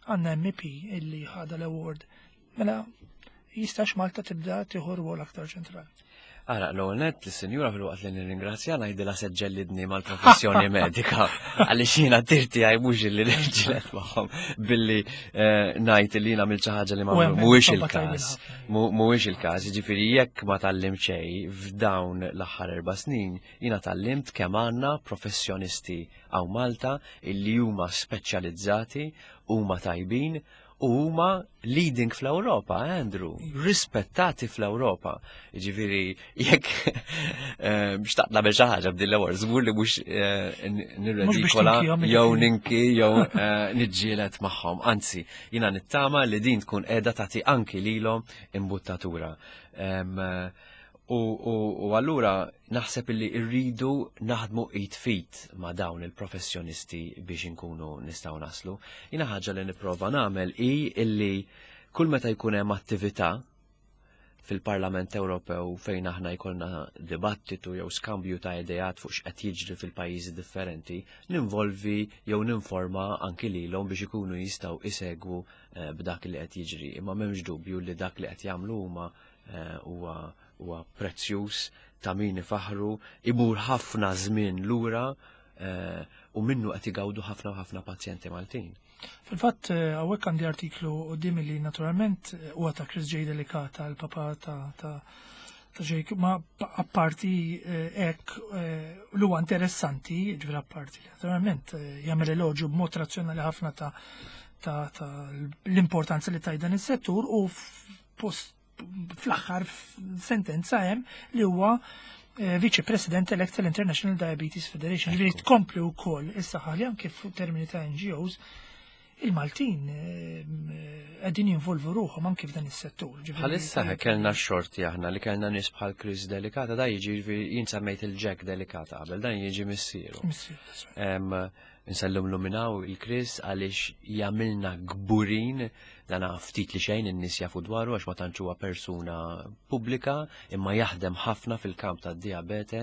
għandna M P illi ħada l-award. Mela, jistax Malta tibda tieħu rwol aktar ċentrali? Ara, l net l-senjura, fil-waqt li nirringrazzja, ngħidilha se ġġellidni mal-professjoni medika. Għaliex jiena tirti għaj mhux li niġġieled magħhom billi eh, ngħid li jiena għamilt xi ħaġa li ma mhuwiex il-każ. Mhuwiex il-każ, jiġifieri jekk ma tgħallimt xejn f'dawn l-aħħar erba' snin, jiena tgħallimt kemm għandna professjonisti hawn Malta illi huma speċjalizzati, huma tajbin u huma leading fl-Ewropa, Andrew, rispettati fl-Ewropa. Ġifieri, jekk eh, xtaqt nagħmel xi ħaġa b'din l-award, żgur li mhux eh, nirredikola jew ninki jew eh, niġġieled magħhom. Anzi, jiena nittama li din tkun qiegħda tagħti anki lilhom imbuttatura. U, u, u allura naħseb illi rridu naħdmu id f'id ma' dawn il-professjonisti biex inkunu nistgħu naslu. Jiena ħaġa li nipprova nagħmel hi illi kull meta jkun hemm attività fil-Parlament Ewropew fejn aħna jkollna dibattitu jew skambju ta' ideat fuq x'qed jiġri fil-pajjiżi differenti, ninvolvi jew ninforma anki lilhom biex ikunu jistgħu isegwu eh, b'dak li qed jiġri. Imma m'hemmx dubju li dak li qed jagħmlu huma eh, huwa huwa prezzjuż, ta' min ifaħru, imur ħafna żmien lura eh, u minnu qed igawdu ħafna u ħafna pazjenti Maltin. Fil-fatt, hawnhekk għandi artiklu quddiem li naturalment huwa ta' Chris J. Delicata, l-papa ta' ta' ta' Jake, ma apparti hekk l huwa interessanti, ġifieri apparti li naturalment jagħmel eloġju b'mod razzjonali ħafna ta' ta' ta' l-importanza li taj dan is-settur u post fl-aħħar sentenza hemm li huwa Vice President elect tal-International Diabetes Federation. Ġifieri tkompli wkoll issa ħalli anke f'termini ta' N G Os il-Maltin qegħdin jinvolvu ruħhom anke f'dan is-settur. Bħalissa kellna xorti aħna li kellna nies bħal Chris Delicata, da jiġi, jien semmejt il-Jack Delicata qabel, dan jiġi missieru. Nsellumlu minn hawn il-Chris għaliex jagħmilna kburin. Dana ftit li xejn in-nies jafu dwaru għax ma tantx huwa persuna pubblika, imma jaħdem ħafna fil-kamp tad-diabete,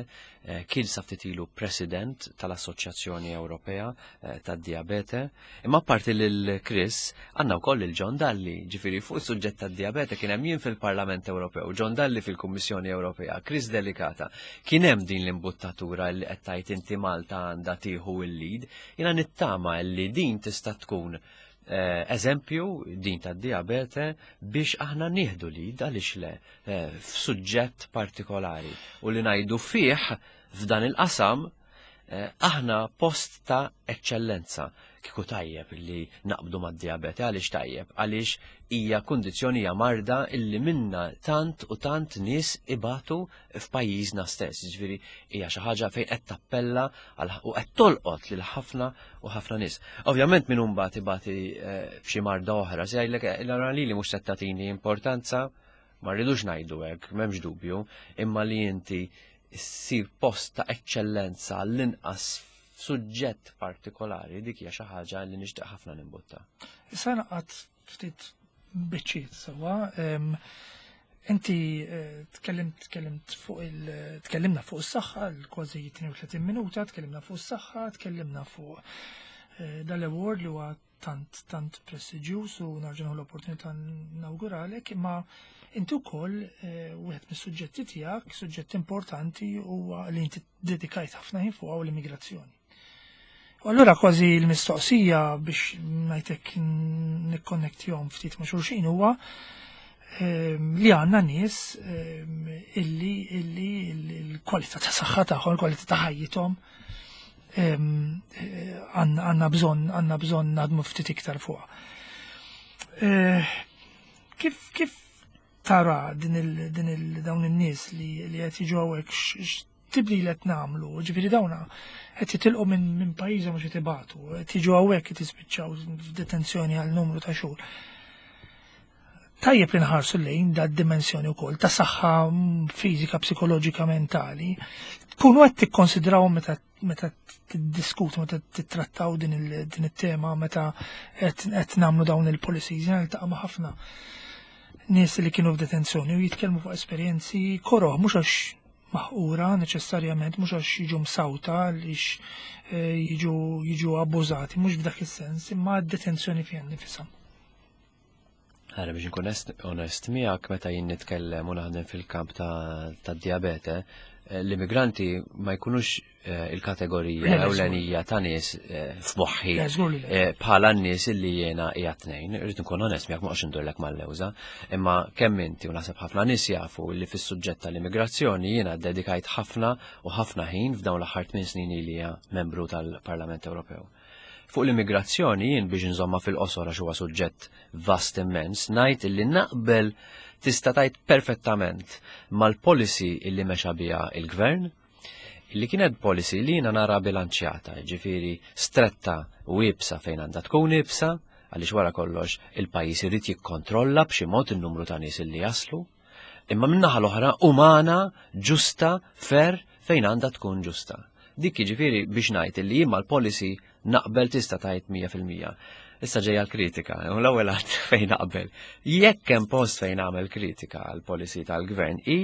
eh, kien sa ftit ilu president tal-Assoċjazzjoni Ewropea eh, tad-Diabete. Imma apparti lil Chris għandna wkoll il John Dalli, ġifieri fuq is-suġġett tad-diabete kien hemm jien fil-Parlament Ewropew, John Dalli fil-Kummissjoni Ewropea, Chris Delicata. Kien hemm din l-imbuttatura li qed tgħid inti, Malta għandha tieħu il-lead. Jiena nittama li din tista' tkun eh, eżempju din ta' diabete biex aħna nieħdu lead, għaliex le, eh, f'suġġett partikolari u li ngħidu fih f'dan il-qasam eh, aħna post ta' eċċellenza. Kieku tajjeb li naqbdu mad-diabete, għaliex tajjeb? Għaliex hija kundizzjoni, hija marda illi minna tant u tant nies ibatu f'pajjiżna stess. Ġifieri hija xi ħaġa fejn qed tappella u qed tolqot lil ħafna u ħafna nies. Ovvjament min mbagħad ibati eh, b'xi marda oħra, se jgħidlek l li mhux se tagħtini importanza, ma rridux ngħidu hekk, m'hemmx dubju, imma li inti ssir post ta' eċċellenza l-inqas suġġett partikolari, dik hija xi ħaġa li nixtieq ħafna nimbutta. Issa naqgħad ftit biċċiet sewwa. Inti eh, tkellimt tkellimt fuq il tkellimna fuq is-saħħa l-kważi tnejn u tletin minuta, tkellimna fuq is-saħħa, tkellimna fuq eh, dal-award li huwa tant tant prestiġjuż u nerġa' nieħu l-opportunità nawguralek, imma inti wkoll eh, wieħed mis-suġġetti tiegħek, suġġett importanti huwa li inti dedikajt ħafna ħin fuq l-immigrazzjoni. U allura kważi l-mistoqsija biex ngħidlek nikkonnettihom ftit ma' xulxin huwa ehm, li għandna nies ehm, illi illi l-kwalità ta' saħħa tagħhom, l-kwalità ta' ħajjithom ehm, eh, għandna bżonn għandna bżonn naħdmu ftit iktar fuqha. Eh, kif kif tara din il din il dawn in-nies li li qed jiġu hawnhekk x'tibdil qed nagħmlu, ġifieri dawna qed jitilqu minn minn pajjiżhom mhux qed qed jiġu hawnhekk qed jispiċċaw f'detenzjoni għal numru ta' xhur. Tajjeb li nħarsu lejn da dimensjoni wkoll ta' saħħa fiżika, psikoloġika, mentali. Tkunu qed tikkonsidraw meta meta tiddiskutu, meta titrattaw din it-tema, meta qed nagħmlu dawn il-policies, jiena niltaqa' ma' ħafna nies li kienu f'detenzjoni u jitkellmu fuq esperjenzi koroh, mhux għax maħqura neċessarjament, mhux għax jiġu msawta, għaliex eh, jiġu jiġu abbużati, mhux f'dak is-sens, imma d-detenzjoni fiha nnifisha. Għara biex nkun onest miegħek, meta jien nitkellem u naħdem fil-kamp ta' diabete, eh, l-immigranti ma jkunux eh, il-kategorija ewlenija ta' nies eh, f'moħħi bħala n-nies illi jiena qiegħed ngħin, irrid nkun onest miegħek, ma ndurlek mal-lewża, imma kemm inti u naħseb ħafna nies jafu li fis-suġġett tal-immigrazzjoni jiena dedikajt ħafna u ħafna ħin f'dawn l-aħħar tmien snin li membru tal-Parlament Ewropew. Fuq l-immigrazzjoni jien, biex nżomma fil-qosor għax huwa suġġett vast immens, ngħid illi naqbel tista' tgħid perfettament mal-policy illi mexa biha il-gvern, illi kienet policy li jiena nara bilanċjata, ġifieri stretta u iebsa fejn għandha tkun iebsa, għaliex wara kollox il-pajjiż irid jikkontrolla b'xi mod in-numru ta' nies illi jaslu, imma min-naħa l-oħra umana, ġusta, fair fejn għandha tkun ġusta. Dik jiġifieri biex ngħid illi jien mal-policy naqbel tista' tgħid mija fil-mija. Issa ġejja l-kritika, u l-ewwel għad fejn naqbel. Jekk hemm post fejn nagħmel kritika għal policy tal-gvern i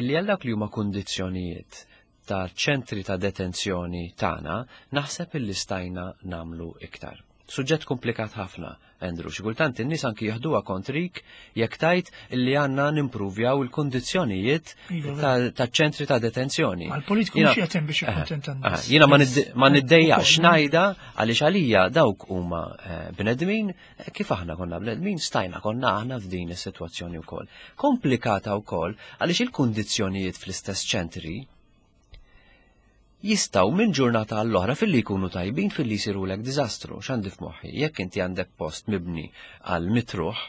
illi għal dak li huma kundizzjonijiet ta' ċentri ta' detenzjoni tagħna, naħseb illi stajna nagħmlu iktar. Suġġett komplikat ħafna, Andrew, xi kultant in-nies anki jieħduha kontrik jekk tgħid illi għandna nimpruvjaw il-kundizzjonijiet Iva, ta' ċentri ta' detenzjoni. Ma l-politiku Jiena- mhux jatem biex jikkuntenta n-nies. Jiena ma nidde- ma niddejjax Ukoll, ngħidha għaliex għalija dawk huma eh, bnedmin, eh, kif aħna konna bnedmin, stajna konna aħna f'din is-sitwazzjoni wkoll. Komplikata wkoll għaliex il-kundizzjonijiet fl-istess ċentri jistgħu minn ġurnata għall-oħra filli jkunu tajbin filli jsirulek diżastru. X'għandi f'moħħi? Jekk inti għandek post mibni għal mitt ruħ,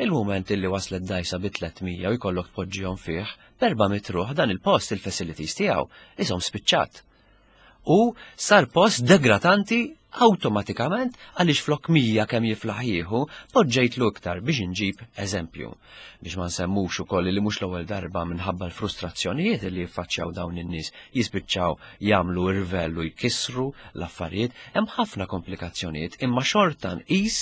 il-moment illi waslet dajsa bi tliet mija u jkollok tpoġġihom fih, b'erba' mitt ruħ, dan il-post il-facilities tiegħu isom spiċċat. U sar post degradanti awtomatikament għaliex flok mija kemm jiflaħ jieħu, poġġejtlu iktar, biex inġib eżempju. Biex ma nsemmux ukoll li mhux l-ewwel darba minħabba l-frustrazzjonijiet li jiffaċċjaw dawn in-nies jispiċċaw jagħmlu irvellu, jkissru l-affarijiet, hemm ħafna komplikazzjonijiet, imma xorta nqis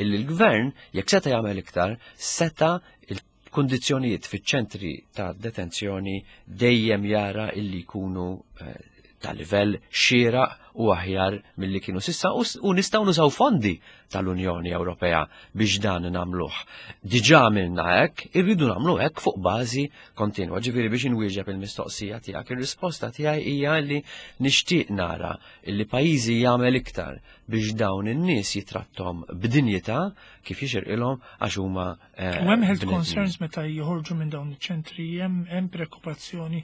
illi l-gvern jekk seta' jagħmel iktar, seta' il-kundizzjonijiet fiċ-ċentri ta' detenzjoni dejjem jara illi jkunu eh, ta' livell xieraq u aħjar milli kienu s'issa u, u nistgħu nużaw fondi tal-Unjoni Ewropea biex dan nagħmluh. Diġà għamilna hekk, irridu nagħmlu hekk fuq bażi kontinwa. Ġifieri biex inwieġeb il-mistoqsija tiegħek, ir-risposta tiegħi hija li nixtieq nara illi pajjiżi jagħmel iktar biex dawn in-nies jitrattom b'dinjità kif jixirqilhom għax huma eh, U hemm health bnedmin. concerns meta joħorġu minn dawn iċ-ċentri, hemm hemm preokkupazzjoni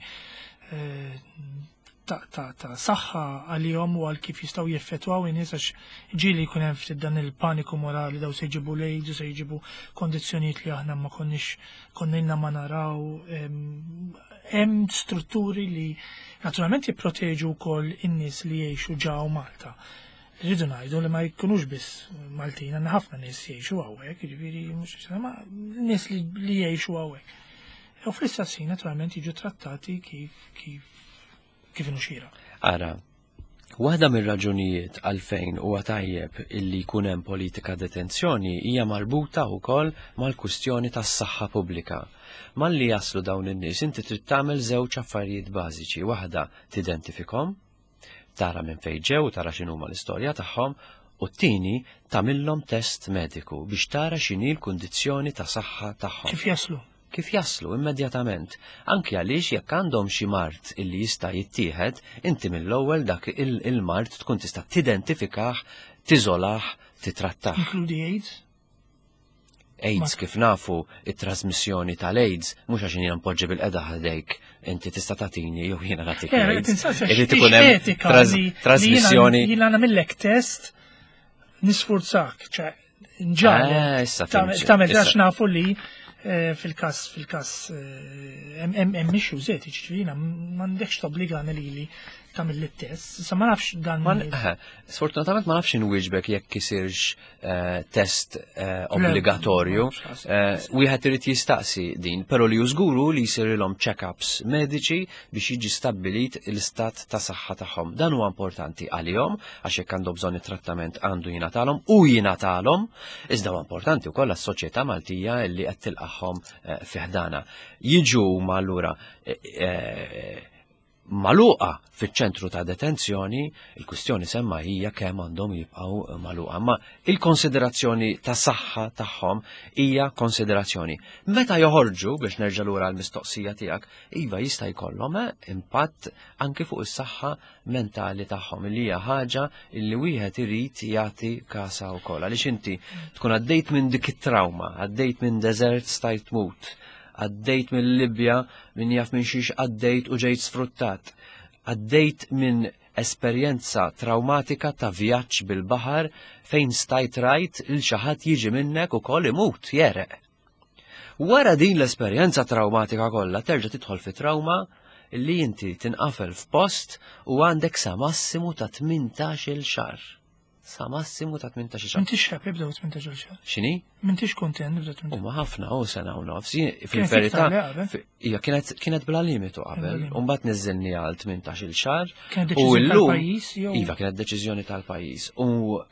eh, ta' ta' ta' saħħa għalihom u għal kif jistgħu jeffettwaw in-nies, għax ġieli jkun hemm ftit dan il-paniku morali, daw se jġibu l-AIDS, se jġibu kondizzjonijiet li aħna ma konniex konna ma naraw. em, Hemm strutturi li naturalment jipproteġu wkoll in-nies li jgħixu ġew Malta. Rridu ngħidu li ma jkunux biss Maltin, għandna ħafna nies jgħixu hawnhekk, jiġifieri mhux ma nies li, li jgħixu hawnhekk. U fl-istess ħin naturalment jiġu trattati kif kif kif inhu xieraq. Ara, waħda mir-raġunijiet għalfejn huwa tajjeb illi jkun hemm politika detenzjoni hija marbuta wkoll mal-kwistjoni tas-saħħa pubblika. Malli jaslu dawn in-nies, inti trid tagħmel żewġ affarijiet bażiċi. Waħda, tidentifikhom, tara minn fejn ġew, tara x'inhuma l-istorja tagħhom. U t-tieni tagħmilhom test mediku biex tara x'inhi l-kundizzjoni ta' saħħa tagħhom. Kif jaslu? Kif jaslu immedjatament. Anki għaliex jekk għandhom xi mard illi jista' jittieħed, inti mill-ewwel dak il-mard tkun tista' tidentifikah, tiżolah, titrattah. Inkludi AIDS? AIDS kif nafu it-trasmissjoni tal-AIDS mhux għax jiena npoġġi bilqiegħda ħdejk inti tista' tagħtini jew jiena nagħtik eh, AIDS. Irid ikun hemm trasmissjoni. Jiena nagħmillek test nisfurzak, ċe nġagħlek. Eh, tagħmel għax nafu li eh, fil-każ fil-każ hemm issues etiċi, jiena m'għandekx tobbligani lili tagħmel it-test. Issa ma nafx dan. Sfortunatament ma nafx inwieġbek jekk isirx eh, test eh, obbligatorju. Eh, wieħed irid jistaqsi din, però li żguru li jsirilhom check-ups mediċi biex jiġi stabbilit l-istat ta' saħħa tagħhom. Dan huwa importanti għalihom għax jekk għandhom bżonn it-trattament għandu jingħatalhom u jingħatalhom, iżda huwa importanti wkoll għas-soċjetà Maltija li qed tilqagħhom fi ħdanha. Jiġu ma allura magħluqa fiċ-ċentru ta' detenzjoni, il-kwistjoni semma hija kemm għandhom jibqgħu magħluqa. Ma il-konsiderazzjoni ta' saħħa tagħhom hija konsiderazzjoni. Meta joħorġu biex nerġa' lura l-mistoqsija tiegħek, iva jista' jkollhom eh, impatt anki fuq is-saħħa mentali tagħhom li hija ħaġa li wieħed irid jagħti kasa wkoll. Għaliex inti tkun għaddejt minn dik it-trauma, għaddejt minn desert stajt tmut, għaddejt minn Libja minn jaf minn xiex għaddejt u ġejt sfruttat, għaddejt minn esperjenza traumatika ta' vjaġġ bil-baħar fejn stajt rajt il xi ħadd jiġi minnek ukoll imut jereq. Wara din l-esperjenza traumatika kollha terġa' tidħol fi trauma li inti tinqafel f'post u għandek sa massimu ta' tmintax-il xahar. Sa massimu ta' tmintax-il xahar. M'intix happy b'daw tmintax-il xahar. X'inhi? M'intix kontent b'daw tmintax. Huma ħafna u sena u nofs. Fil-verità, hija kienet kienet bla limitu qabel, u mbagħad niżilni għal tmintax-il xahar. Kienet U deċiżjoni llum tal-pajjiż jew Iva, kienet deċiżjoni tal-pajjiż. U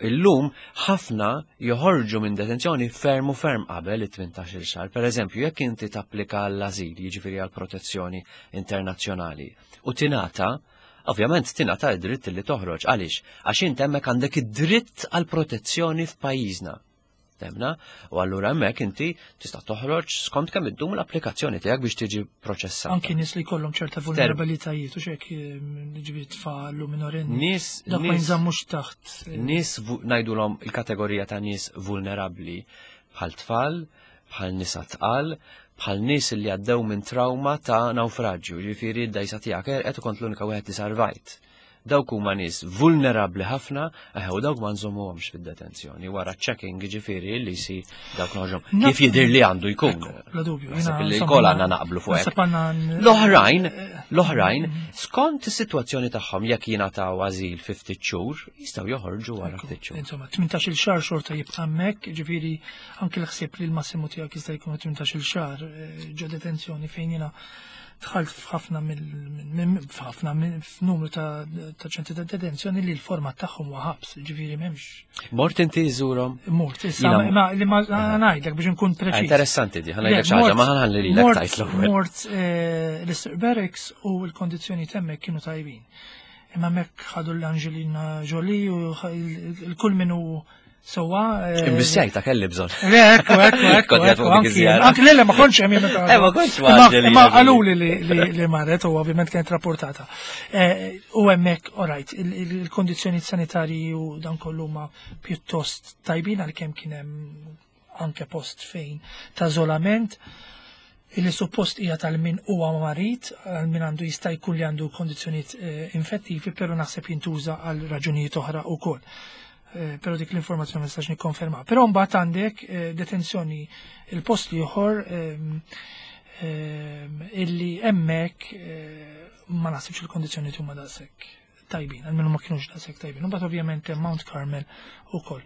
llum ħafna joħorġu minn detenzjoni ferm u ferm qabel it-tmintax-il xahar. Per eżempju, jekk inti tapplika għall-ażil, jiġifieri għall-protezzjoni internazzjonali, u tingħata, ovvjament tingħata id-dritt li toħroġ. Għaliex? Għax int hemmhekk għandek id-dritt għal protezzjoni f'pajjiżna. Temna? U allura hemmhekk inti tista' toħroġ skont kemm iddum l-applikazzjoni tiegħek biex tiġi proċessata. Anki nies li jkollhom ċerta vulnerabilitajiet u xek ġifieri tfal u minorenni. Nies Dak ma nies jinżammux taħt. eh, nies vu- ngħidulhom il-kategorija ta' nies vulnerabbli bħal tfal, bħal nisa tqal, bħal nies li għaddew minn trauma ta' nawfraġġju, ġifieri d-dajsa tiegħek qed kont l-unika wieħed li sarvajt. Dawk huma nies vulnerabbli ħafna, eh, u dawk ma nżommuhomx fid-detenzjoni. Wara checking ġifieri li jsir dawk noħorġhom. Naf- Kif jidher li għandu jkun. Bla dubju. Naħseb jiena, li insomma, kol għandna naqblu fuq hekk. Naħseb għandna n- L-oħrajn, l-oħrajn, skont is-sitwazzjoni tagħhom jekk jingħataw ażil fi ftit xhur, jistgħu joħorġu wara ftit xhur. Insomma, tmintax-il xahar xorta jibqa' hemmhekk, ġifieri anke l-ħsieb li l-massimu tiegħek jista' jkun tmintax-il xahar eh, ġo detenzjoni fejn jiena dħalt f'ħafna mill f'ħafna minn- f'numru ta' ta' ċentri ta' detenzjoni li l-format tagħhom huwa ħabs, ġifieri m'hemmx Mort inti żurhom? mort. Issa Jiena- ma li ma ngħidlek biex inkun Ah, preċiż. Interessanti di, ħa ngħidlek Le, xi ħaġa, mort- ma ħa nħalli lilek mort- tgħid l-ewwel. Mort eh, l-Easter Barracks u l-kondizzjoni hemmhekk kienu tajbin. Imma hemmhekk ħadu l-Angelina Jolie u ħa- il- il-kull minnu sewwa. eh, Imbissjajta kelli bżonn. Le, ekku, ekku, ekku, Kont ekku, jgħid fuq dik anki, iż-żjara. anki le, le, ma kontx hemm jien meta- Eh, ma kontx ma' Imma- Angelina Imma Jolie. qaluli li, li, li marret u ovvjament kienet rapportata. Eh, U hemmhekk, alright, il-kondizzjoni sanitarji u dan kollu ma pjuttost tajbin għalkemm kien hemm anke post fejn ta' iżolament illi suppost hija tal-min huwa marid, għal min għandu jista' jkun li għandu kondizzjonijiet eh, infettivi, però naħseb jintuża għal raġunijiet oħra wkoll. Eh, Però dik l-informazzjoni ma nistax nikkonferma. Però mbagħad għandek eh, detenzjoni il-post ieħor ehm, ehm, illi hemmhekk eh, ma naħsibx il-kondizzjonijiet huma daqshekk tajbin, almenu ma kienux daqshekk tajbin. U mbagħad ovvjament hemm Mount Carmel ukoll.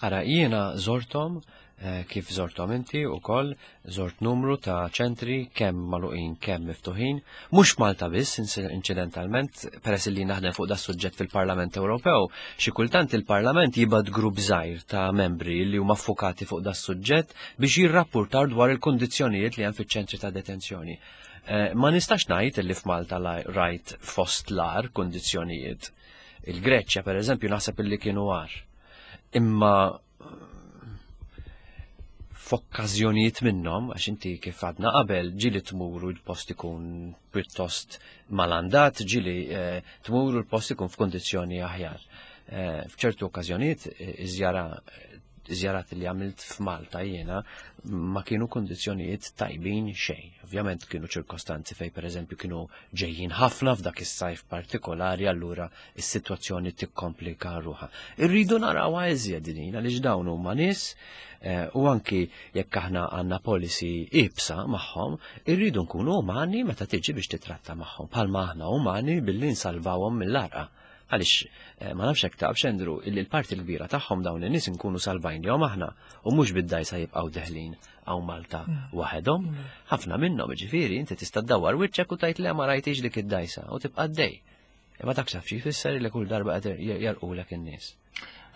Ara, jiena żorthom, eh, kif żorthom inti u koll, zort numru ta' ċentri kemm magħluqin kemm miftuħin, mhux Malta biss inċidentalment, peress li naħdem fuq da suġġett fil-Parlament Ewropew, xi kultant il-Parlament jibgħat grupp żgħir ta' membri li huma ffukati fuq da suġġett biex jirrapportar dwar il-kondizzjonijiet li hemm fiċ-ċentri ta' detenzjoni. Eh, ma nistax ngħid li f'Malta rajt fost l-agħar kondizzjonijiet. Il-Greċja, per eżempju, naħseb illi kienu agħar. Imma f'okkażjonijiet minnhom, għax inti kif għadna qabel, ġieli tmur u l-post ikun pjuttost malandat, ġieli eh, tmur u l-post ikun f'kondizzjoni aħjar. Eh, f'ċertu okkażjonijiet eh, iż-żjara żjarat li għamilt f'Malta jiena ma kienu kondizzjonijiet tajbin xejn. Ovvjament kienu ċirkostanzi fej pereżempju kienu ġejjin ħafna f'dak is-sajf partikolari, allura is-sitwazzjoni tikkomplika ruħha. Irridu narawha iżjed din għaliex dawn huma nies eh, u anki jekk aħna għandna policy iebsa magħhom, irridu nkunu umani meta tiġi biex titratta magħhom. Bħalma aħna umani billi nsalvawhom mill-għarqa. Għaliex eh, ma nafx hekk taf Andrew, illi l-parti l-kbira tagħhom dawn in-nies nkunu salvajnihom aħna u mhux bid-dajsa jibqgħu deħlin hawn Malta waħedhom. Ħafna minnhom ġifieri inti tista' ddawwar wiċċek u tgħid le ma rajtix dik id-dajsa u tibqa' għaddej. Imma dak taf xi jfisser li kull darba qed jarqulek in-nies.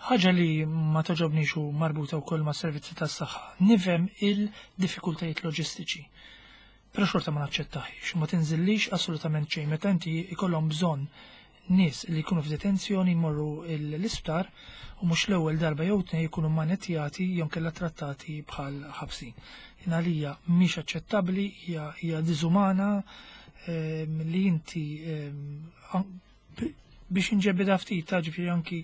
Ħaġa li ma toġobnix u marbuta wkoll ma' servizzi tas-saħħa. Nifhem il-diffikultajiet loġistiċi. Però xorta ma naċċettaħiex u ma tinżillix assolutament xejn meta inti ikollhom bżonn nies li jkunu f'detenzjoni jmorru l-isptar u mhux l-ewwel darba jew tnejn jkunu manettjati jew kellha trattati bħal ħabsin. Jien għalija mhix aċċettabbli, hija hija diżumana ehm, li inti ehm, an- biex inġebida ftit ta' ġifieri anki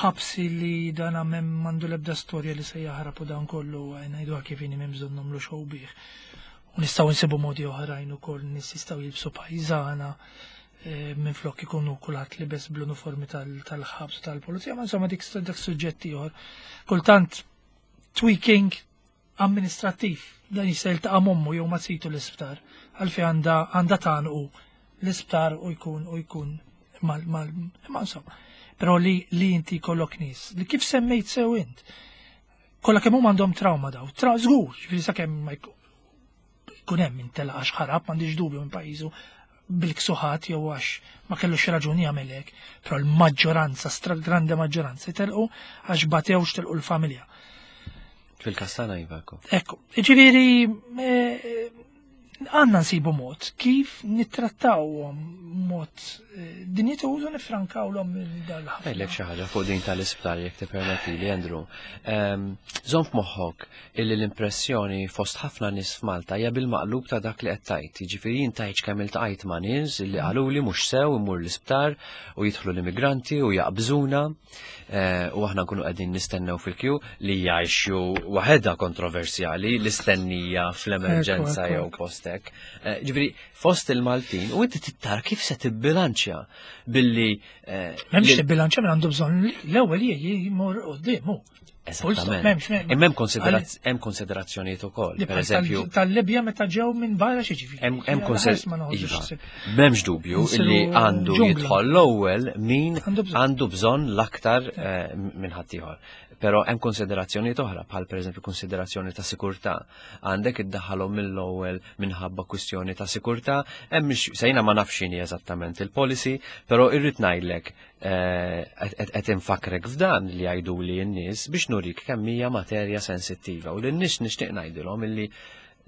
ħabsi li dan għamem mandu lebda storja li se jaħrab u dan kollu ngħidu kif inhi m'hemm bżonn nagħmlu show bih. U nistgħu nsibu modi oħrajn ukoll nies jistgħu jilbsu pajżana eh, minn flok ikunu kulħadd libes bl-uniformi tal-ħabs tal-pulizija, ma insomma dik dak suġġett ieħor. Kultant tweaking amministrattiv dan jista' jiltaqa' m'ommu jew ma situ l-isptar għalfejn għandha għandha tagħnqu l-isptar u jkun u jkun mal mal ma insomma. Però li li inti kollok nies li kif semmejt sew int. Kollha kemm huma għandhom trauma daw. Tra żgur, ġifieri sakemm ma jkun hemm intelaq għax ħarab m'għandix dubju minn pajjiżu bil-ksuħat jew għax ma kellux raġuni jagħmel hekk, però l-maġġoranza, stragrande maġġoranza telqu għax batewx telqu l-familja. Fil-kastana jivako. Ekku, ġifieri eh, għandna nsibu mod kif nittrattawhom mod eh, dinjituż u nifrankawlhom dal-ħafna. Għajlek xi ħaġa fuq din tal-isptar jekk tippermetti li Andrew. Ehm, Żomm f'moħħok illi l-impressjoni fost ħafna nies f'Malta hija bil-maqlub ta' dak li qed tgħid. Jiġifieri jien tgħidx kemm iltqajt ma' nies illi qaluli mhux sew imur l-isptar u jidħlu l-immigranti u jaqbżuna eh, u aħna nkunu qegħdin nistennew fil-kju li jgħixu waħedha kontroversjali l-istennija fl-emerġenza Ekku, ekku, jew ekku. postek. Eh, Ġifieri fost il-Maltin u inti tittar kif se tibbilanċja billi eh, M'hemmx li- tibbilanċja minn għandu bżonn l-ewwel jmur quddiem hu. Full stop, Esattament. m'hemmx, m'hemm- Imma hemm konsideraz- hemm konsiderazzjonijiet ukoll. Li Per bħal eżempju, tal- tal-Libja meta ġew minn barra xi ġifieri. hemm hemm Ħares konsider- ma noħodux Iva, ħsieb. M'hemmx dubju Nsiru illi għandu ġungla. jidħol l-ewwel min Għandu bżonn. għandu bżonn l-aktar eh, minn ħaddieħor. Però hemm konsiderazzjonijiet oħra, bħal pereżempju konsiderazzjoni ta' sikurtà. Għandek iddaħħalhom mill-ewwel minħabba kwistjoni ta' sikurtà, hemm mhix sejna ma nafx x'inhi eżattament il-policy, però irrid ngħidlek eh, qed qed infakrek f'dan li jgħidu li n-nies biex nurik kemm hija materja sensittiva u lin-nies nixtieq ngħidilhom illi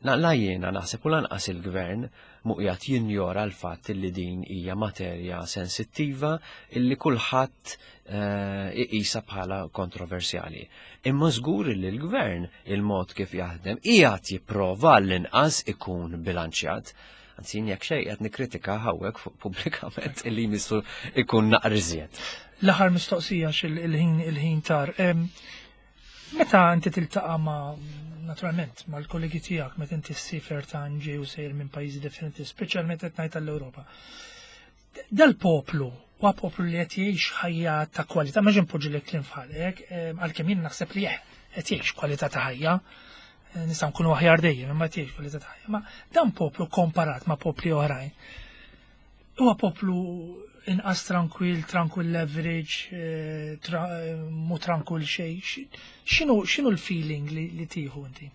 Na, la jiena naħseb u lanqas il-gvern mhu qiegħed jinjora l-fatt illi din hija materja sensittiva illi kulħadd eh, iqisha bħala kontroversjali. Imma żgur li l-gvern il-mod kif jaħdem qiegħed jipprova l-inqas ikun bilanċjat. Anzi, jien jekk xejn qed nikkritika hawnhekk fuq pubblikament illi jmissu ikun naqriżiet. L-aħħar mistoqsija x'il- il-ħin il-ħin tar. Em, Meta inti tiltaqa' ma' naturalment mal-kollegi tiegħek meta inti ssifer ta' ġej u sejr minn pajjiżi differenti, speċjalment qed ngħid tal-Ewropa. Dal-poplu huwa poplu li qed jgħix ħajja ta' kwalità, ma ġen poġġi lek kliem f'ħalek, em, għalkemm jien naħseb li eh, qed jgħix kwalità ta' ħajja, eh, nistgħu nkunu aħjar dejjem, imma qed jgħix kwalità ta' ħajja. Ma dan poplu komparat ma' popli oħrajn. Huwa poplu inqas tranquil, tranquil average, eh, tra, eh, mu tranquil xejn. X'inhu x'inhu l-feeling li, li tieħu inti?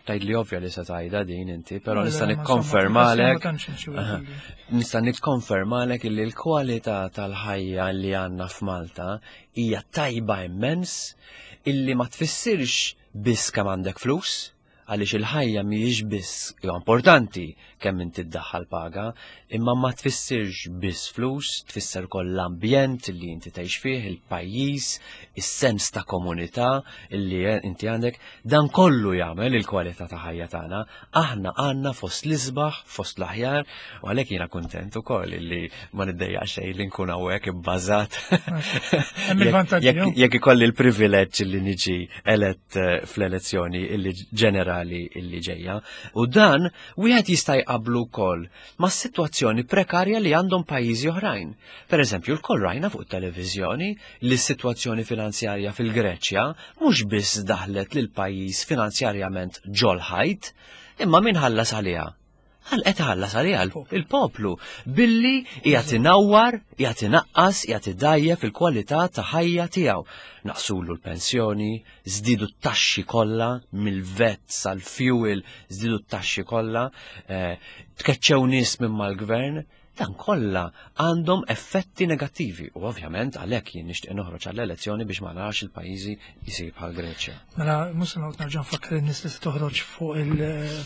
Tgħid li ovvja li se tgħidha din inti, però Le, nista' ma insomma, nikkonfermalek ma tantx imxi Aha. wieħed. Nista' nikkonfermalek illi l-kwalità tal-ħajja li għandna f'Malta hija tajba immens illi ma tfissirx biss kemm għandek flus, Għaliex il-ħajja mhijiex biss importanti kemm inti ddaħħal paga, imma ma tfissirx biss flus, tfisser ukoll l-ambjent li inti tgħix fih, il-pajjiż, is-sens ta' komunità li inti għandek, dan kollu jagħmel il-kwalità ta' ħajja tagħna. Aħna għandna fost l-isbaħ, fost l-aħjar, u għalhekk jiena kuntent ukoll li ma niddejjaq xejn li nkun hawnhekk ibbażat. Jekk ikolli l-privileġġ li niġi elett eh, fl-elezzjoni illi ġenerali illi ġejja. U dan wieħed jista' jqablu wkoll ma' sitwazzjoni prekarja li għandhom pajjiżi oħrajn. Per eżempju, lkoll rajna fuq televiżjoni li s-sitwazzjoni finanzjarja fil-Greċja mhux biss daħlet lil pajjiż finanzjarjament ġol-ħajt, imma min ħallas għaliha? Għal qed ħallas għaliha il-poplu billi qiegħed inawwar, qiegħed inaqqas, qiegħed idajjef il-kwalità ta' ħajja tiegħu. Naqsulu l-pensjoni, żdiedu t-taxxi kollha mill-VAT sal-fuel, żdiedu t-taxxi kollha, eh, tkeċċew nies minn mal-gvern, dan kollha għandhom effetti negattivi u ovvjament għalhekk jien nixtieq noħroġ għall-elezzjoni biex ma narax il-pajjiżi jsir bħal Greċja. Mela mhux se noqgħod nerġa' nfakkar in-nies li se toħroġ fuq il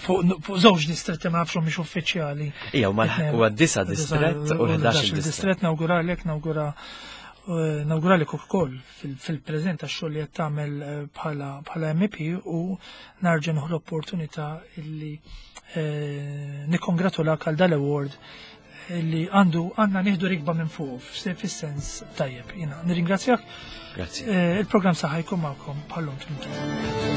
fuq żewġ distretti, ma nafx mhix uffiċjali. Ija, huwa disa' distrett u ħdax distrett. Nawguralek, nawgura eh, nawguralek ukoll fil-preżent għax-xogħol li qed tagħmel eh, bħala bħala M E P u nerġa' nieħu l-opportunità illi eh, nikkongratulak għal dal-award li għandu għandna nieħdu rikba minn fuq fis-sens tajjeb. Jiena nirringrazzjak. Grazzi. Il-programm Saħħa jkun magħkom bħallum tmintun.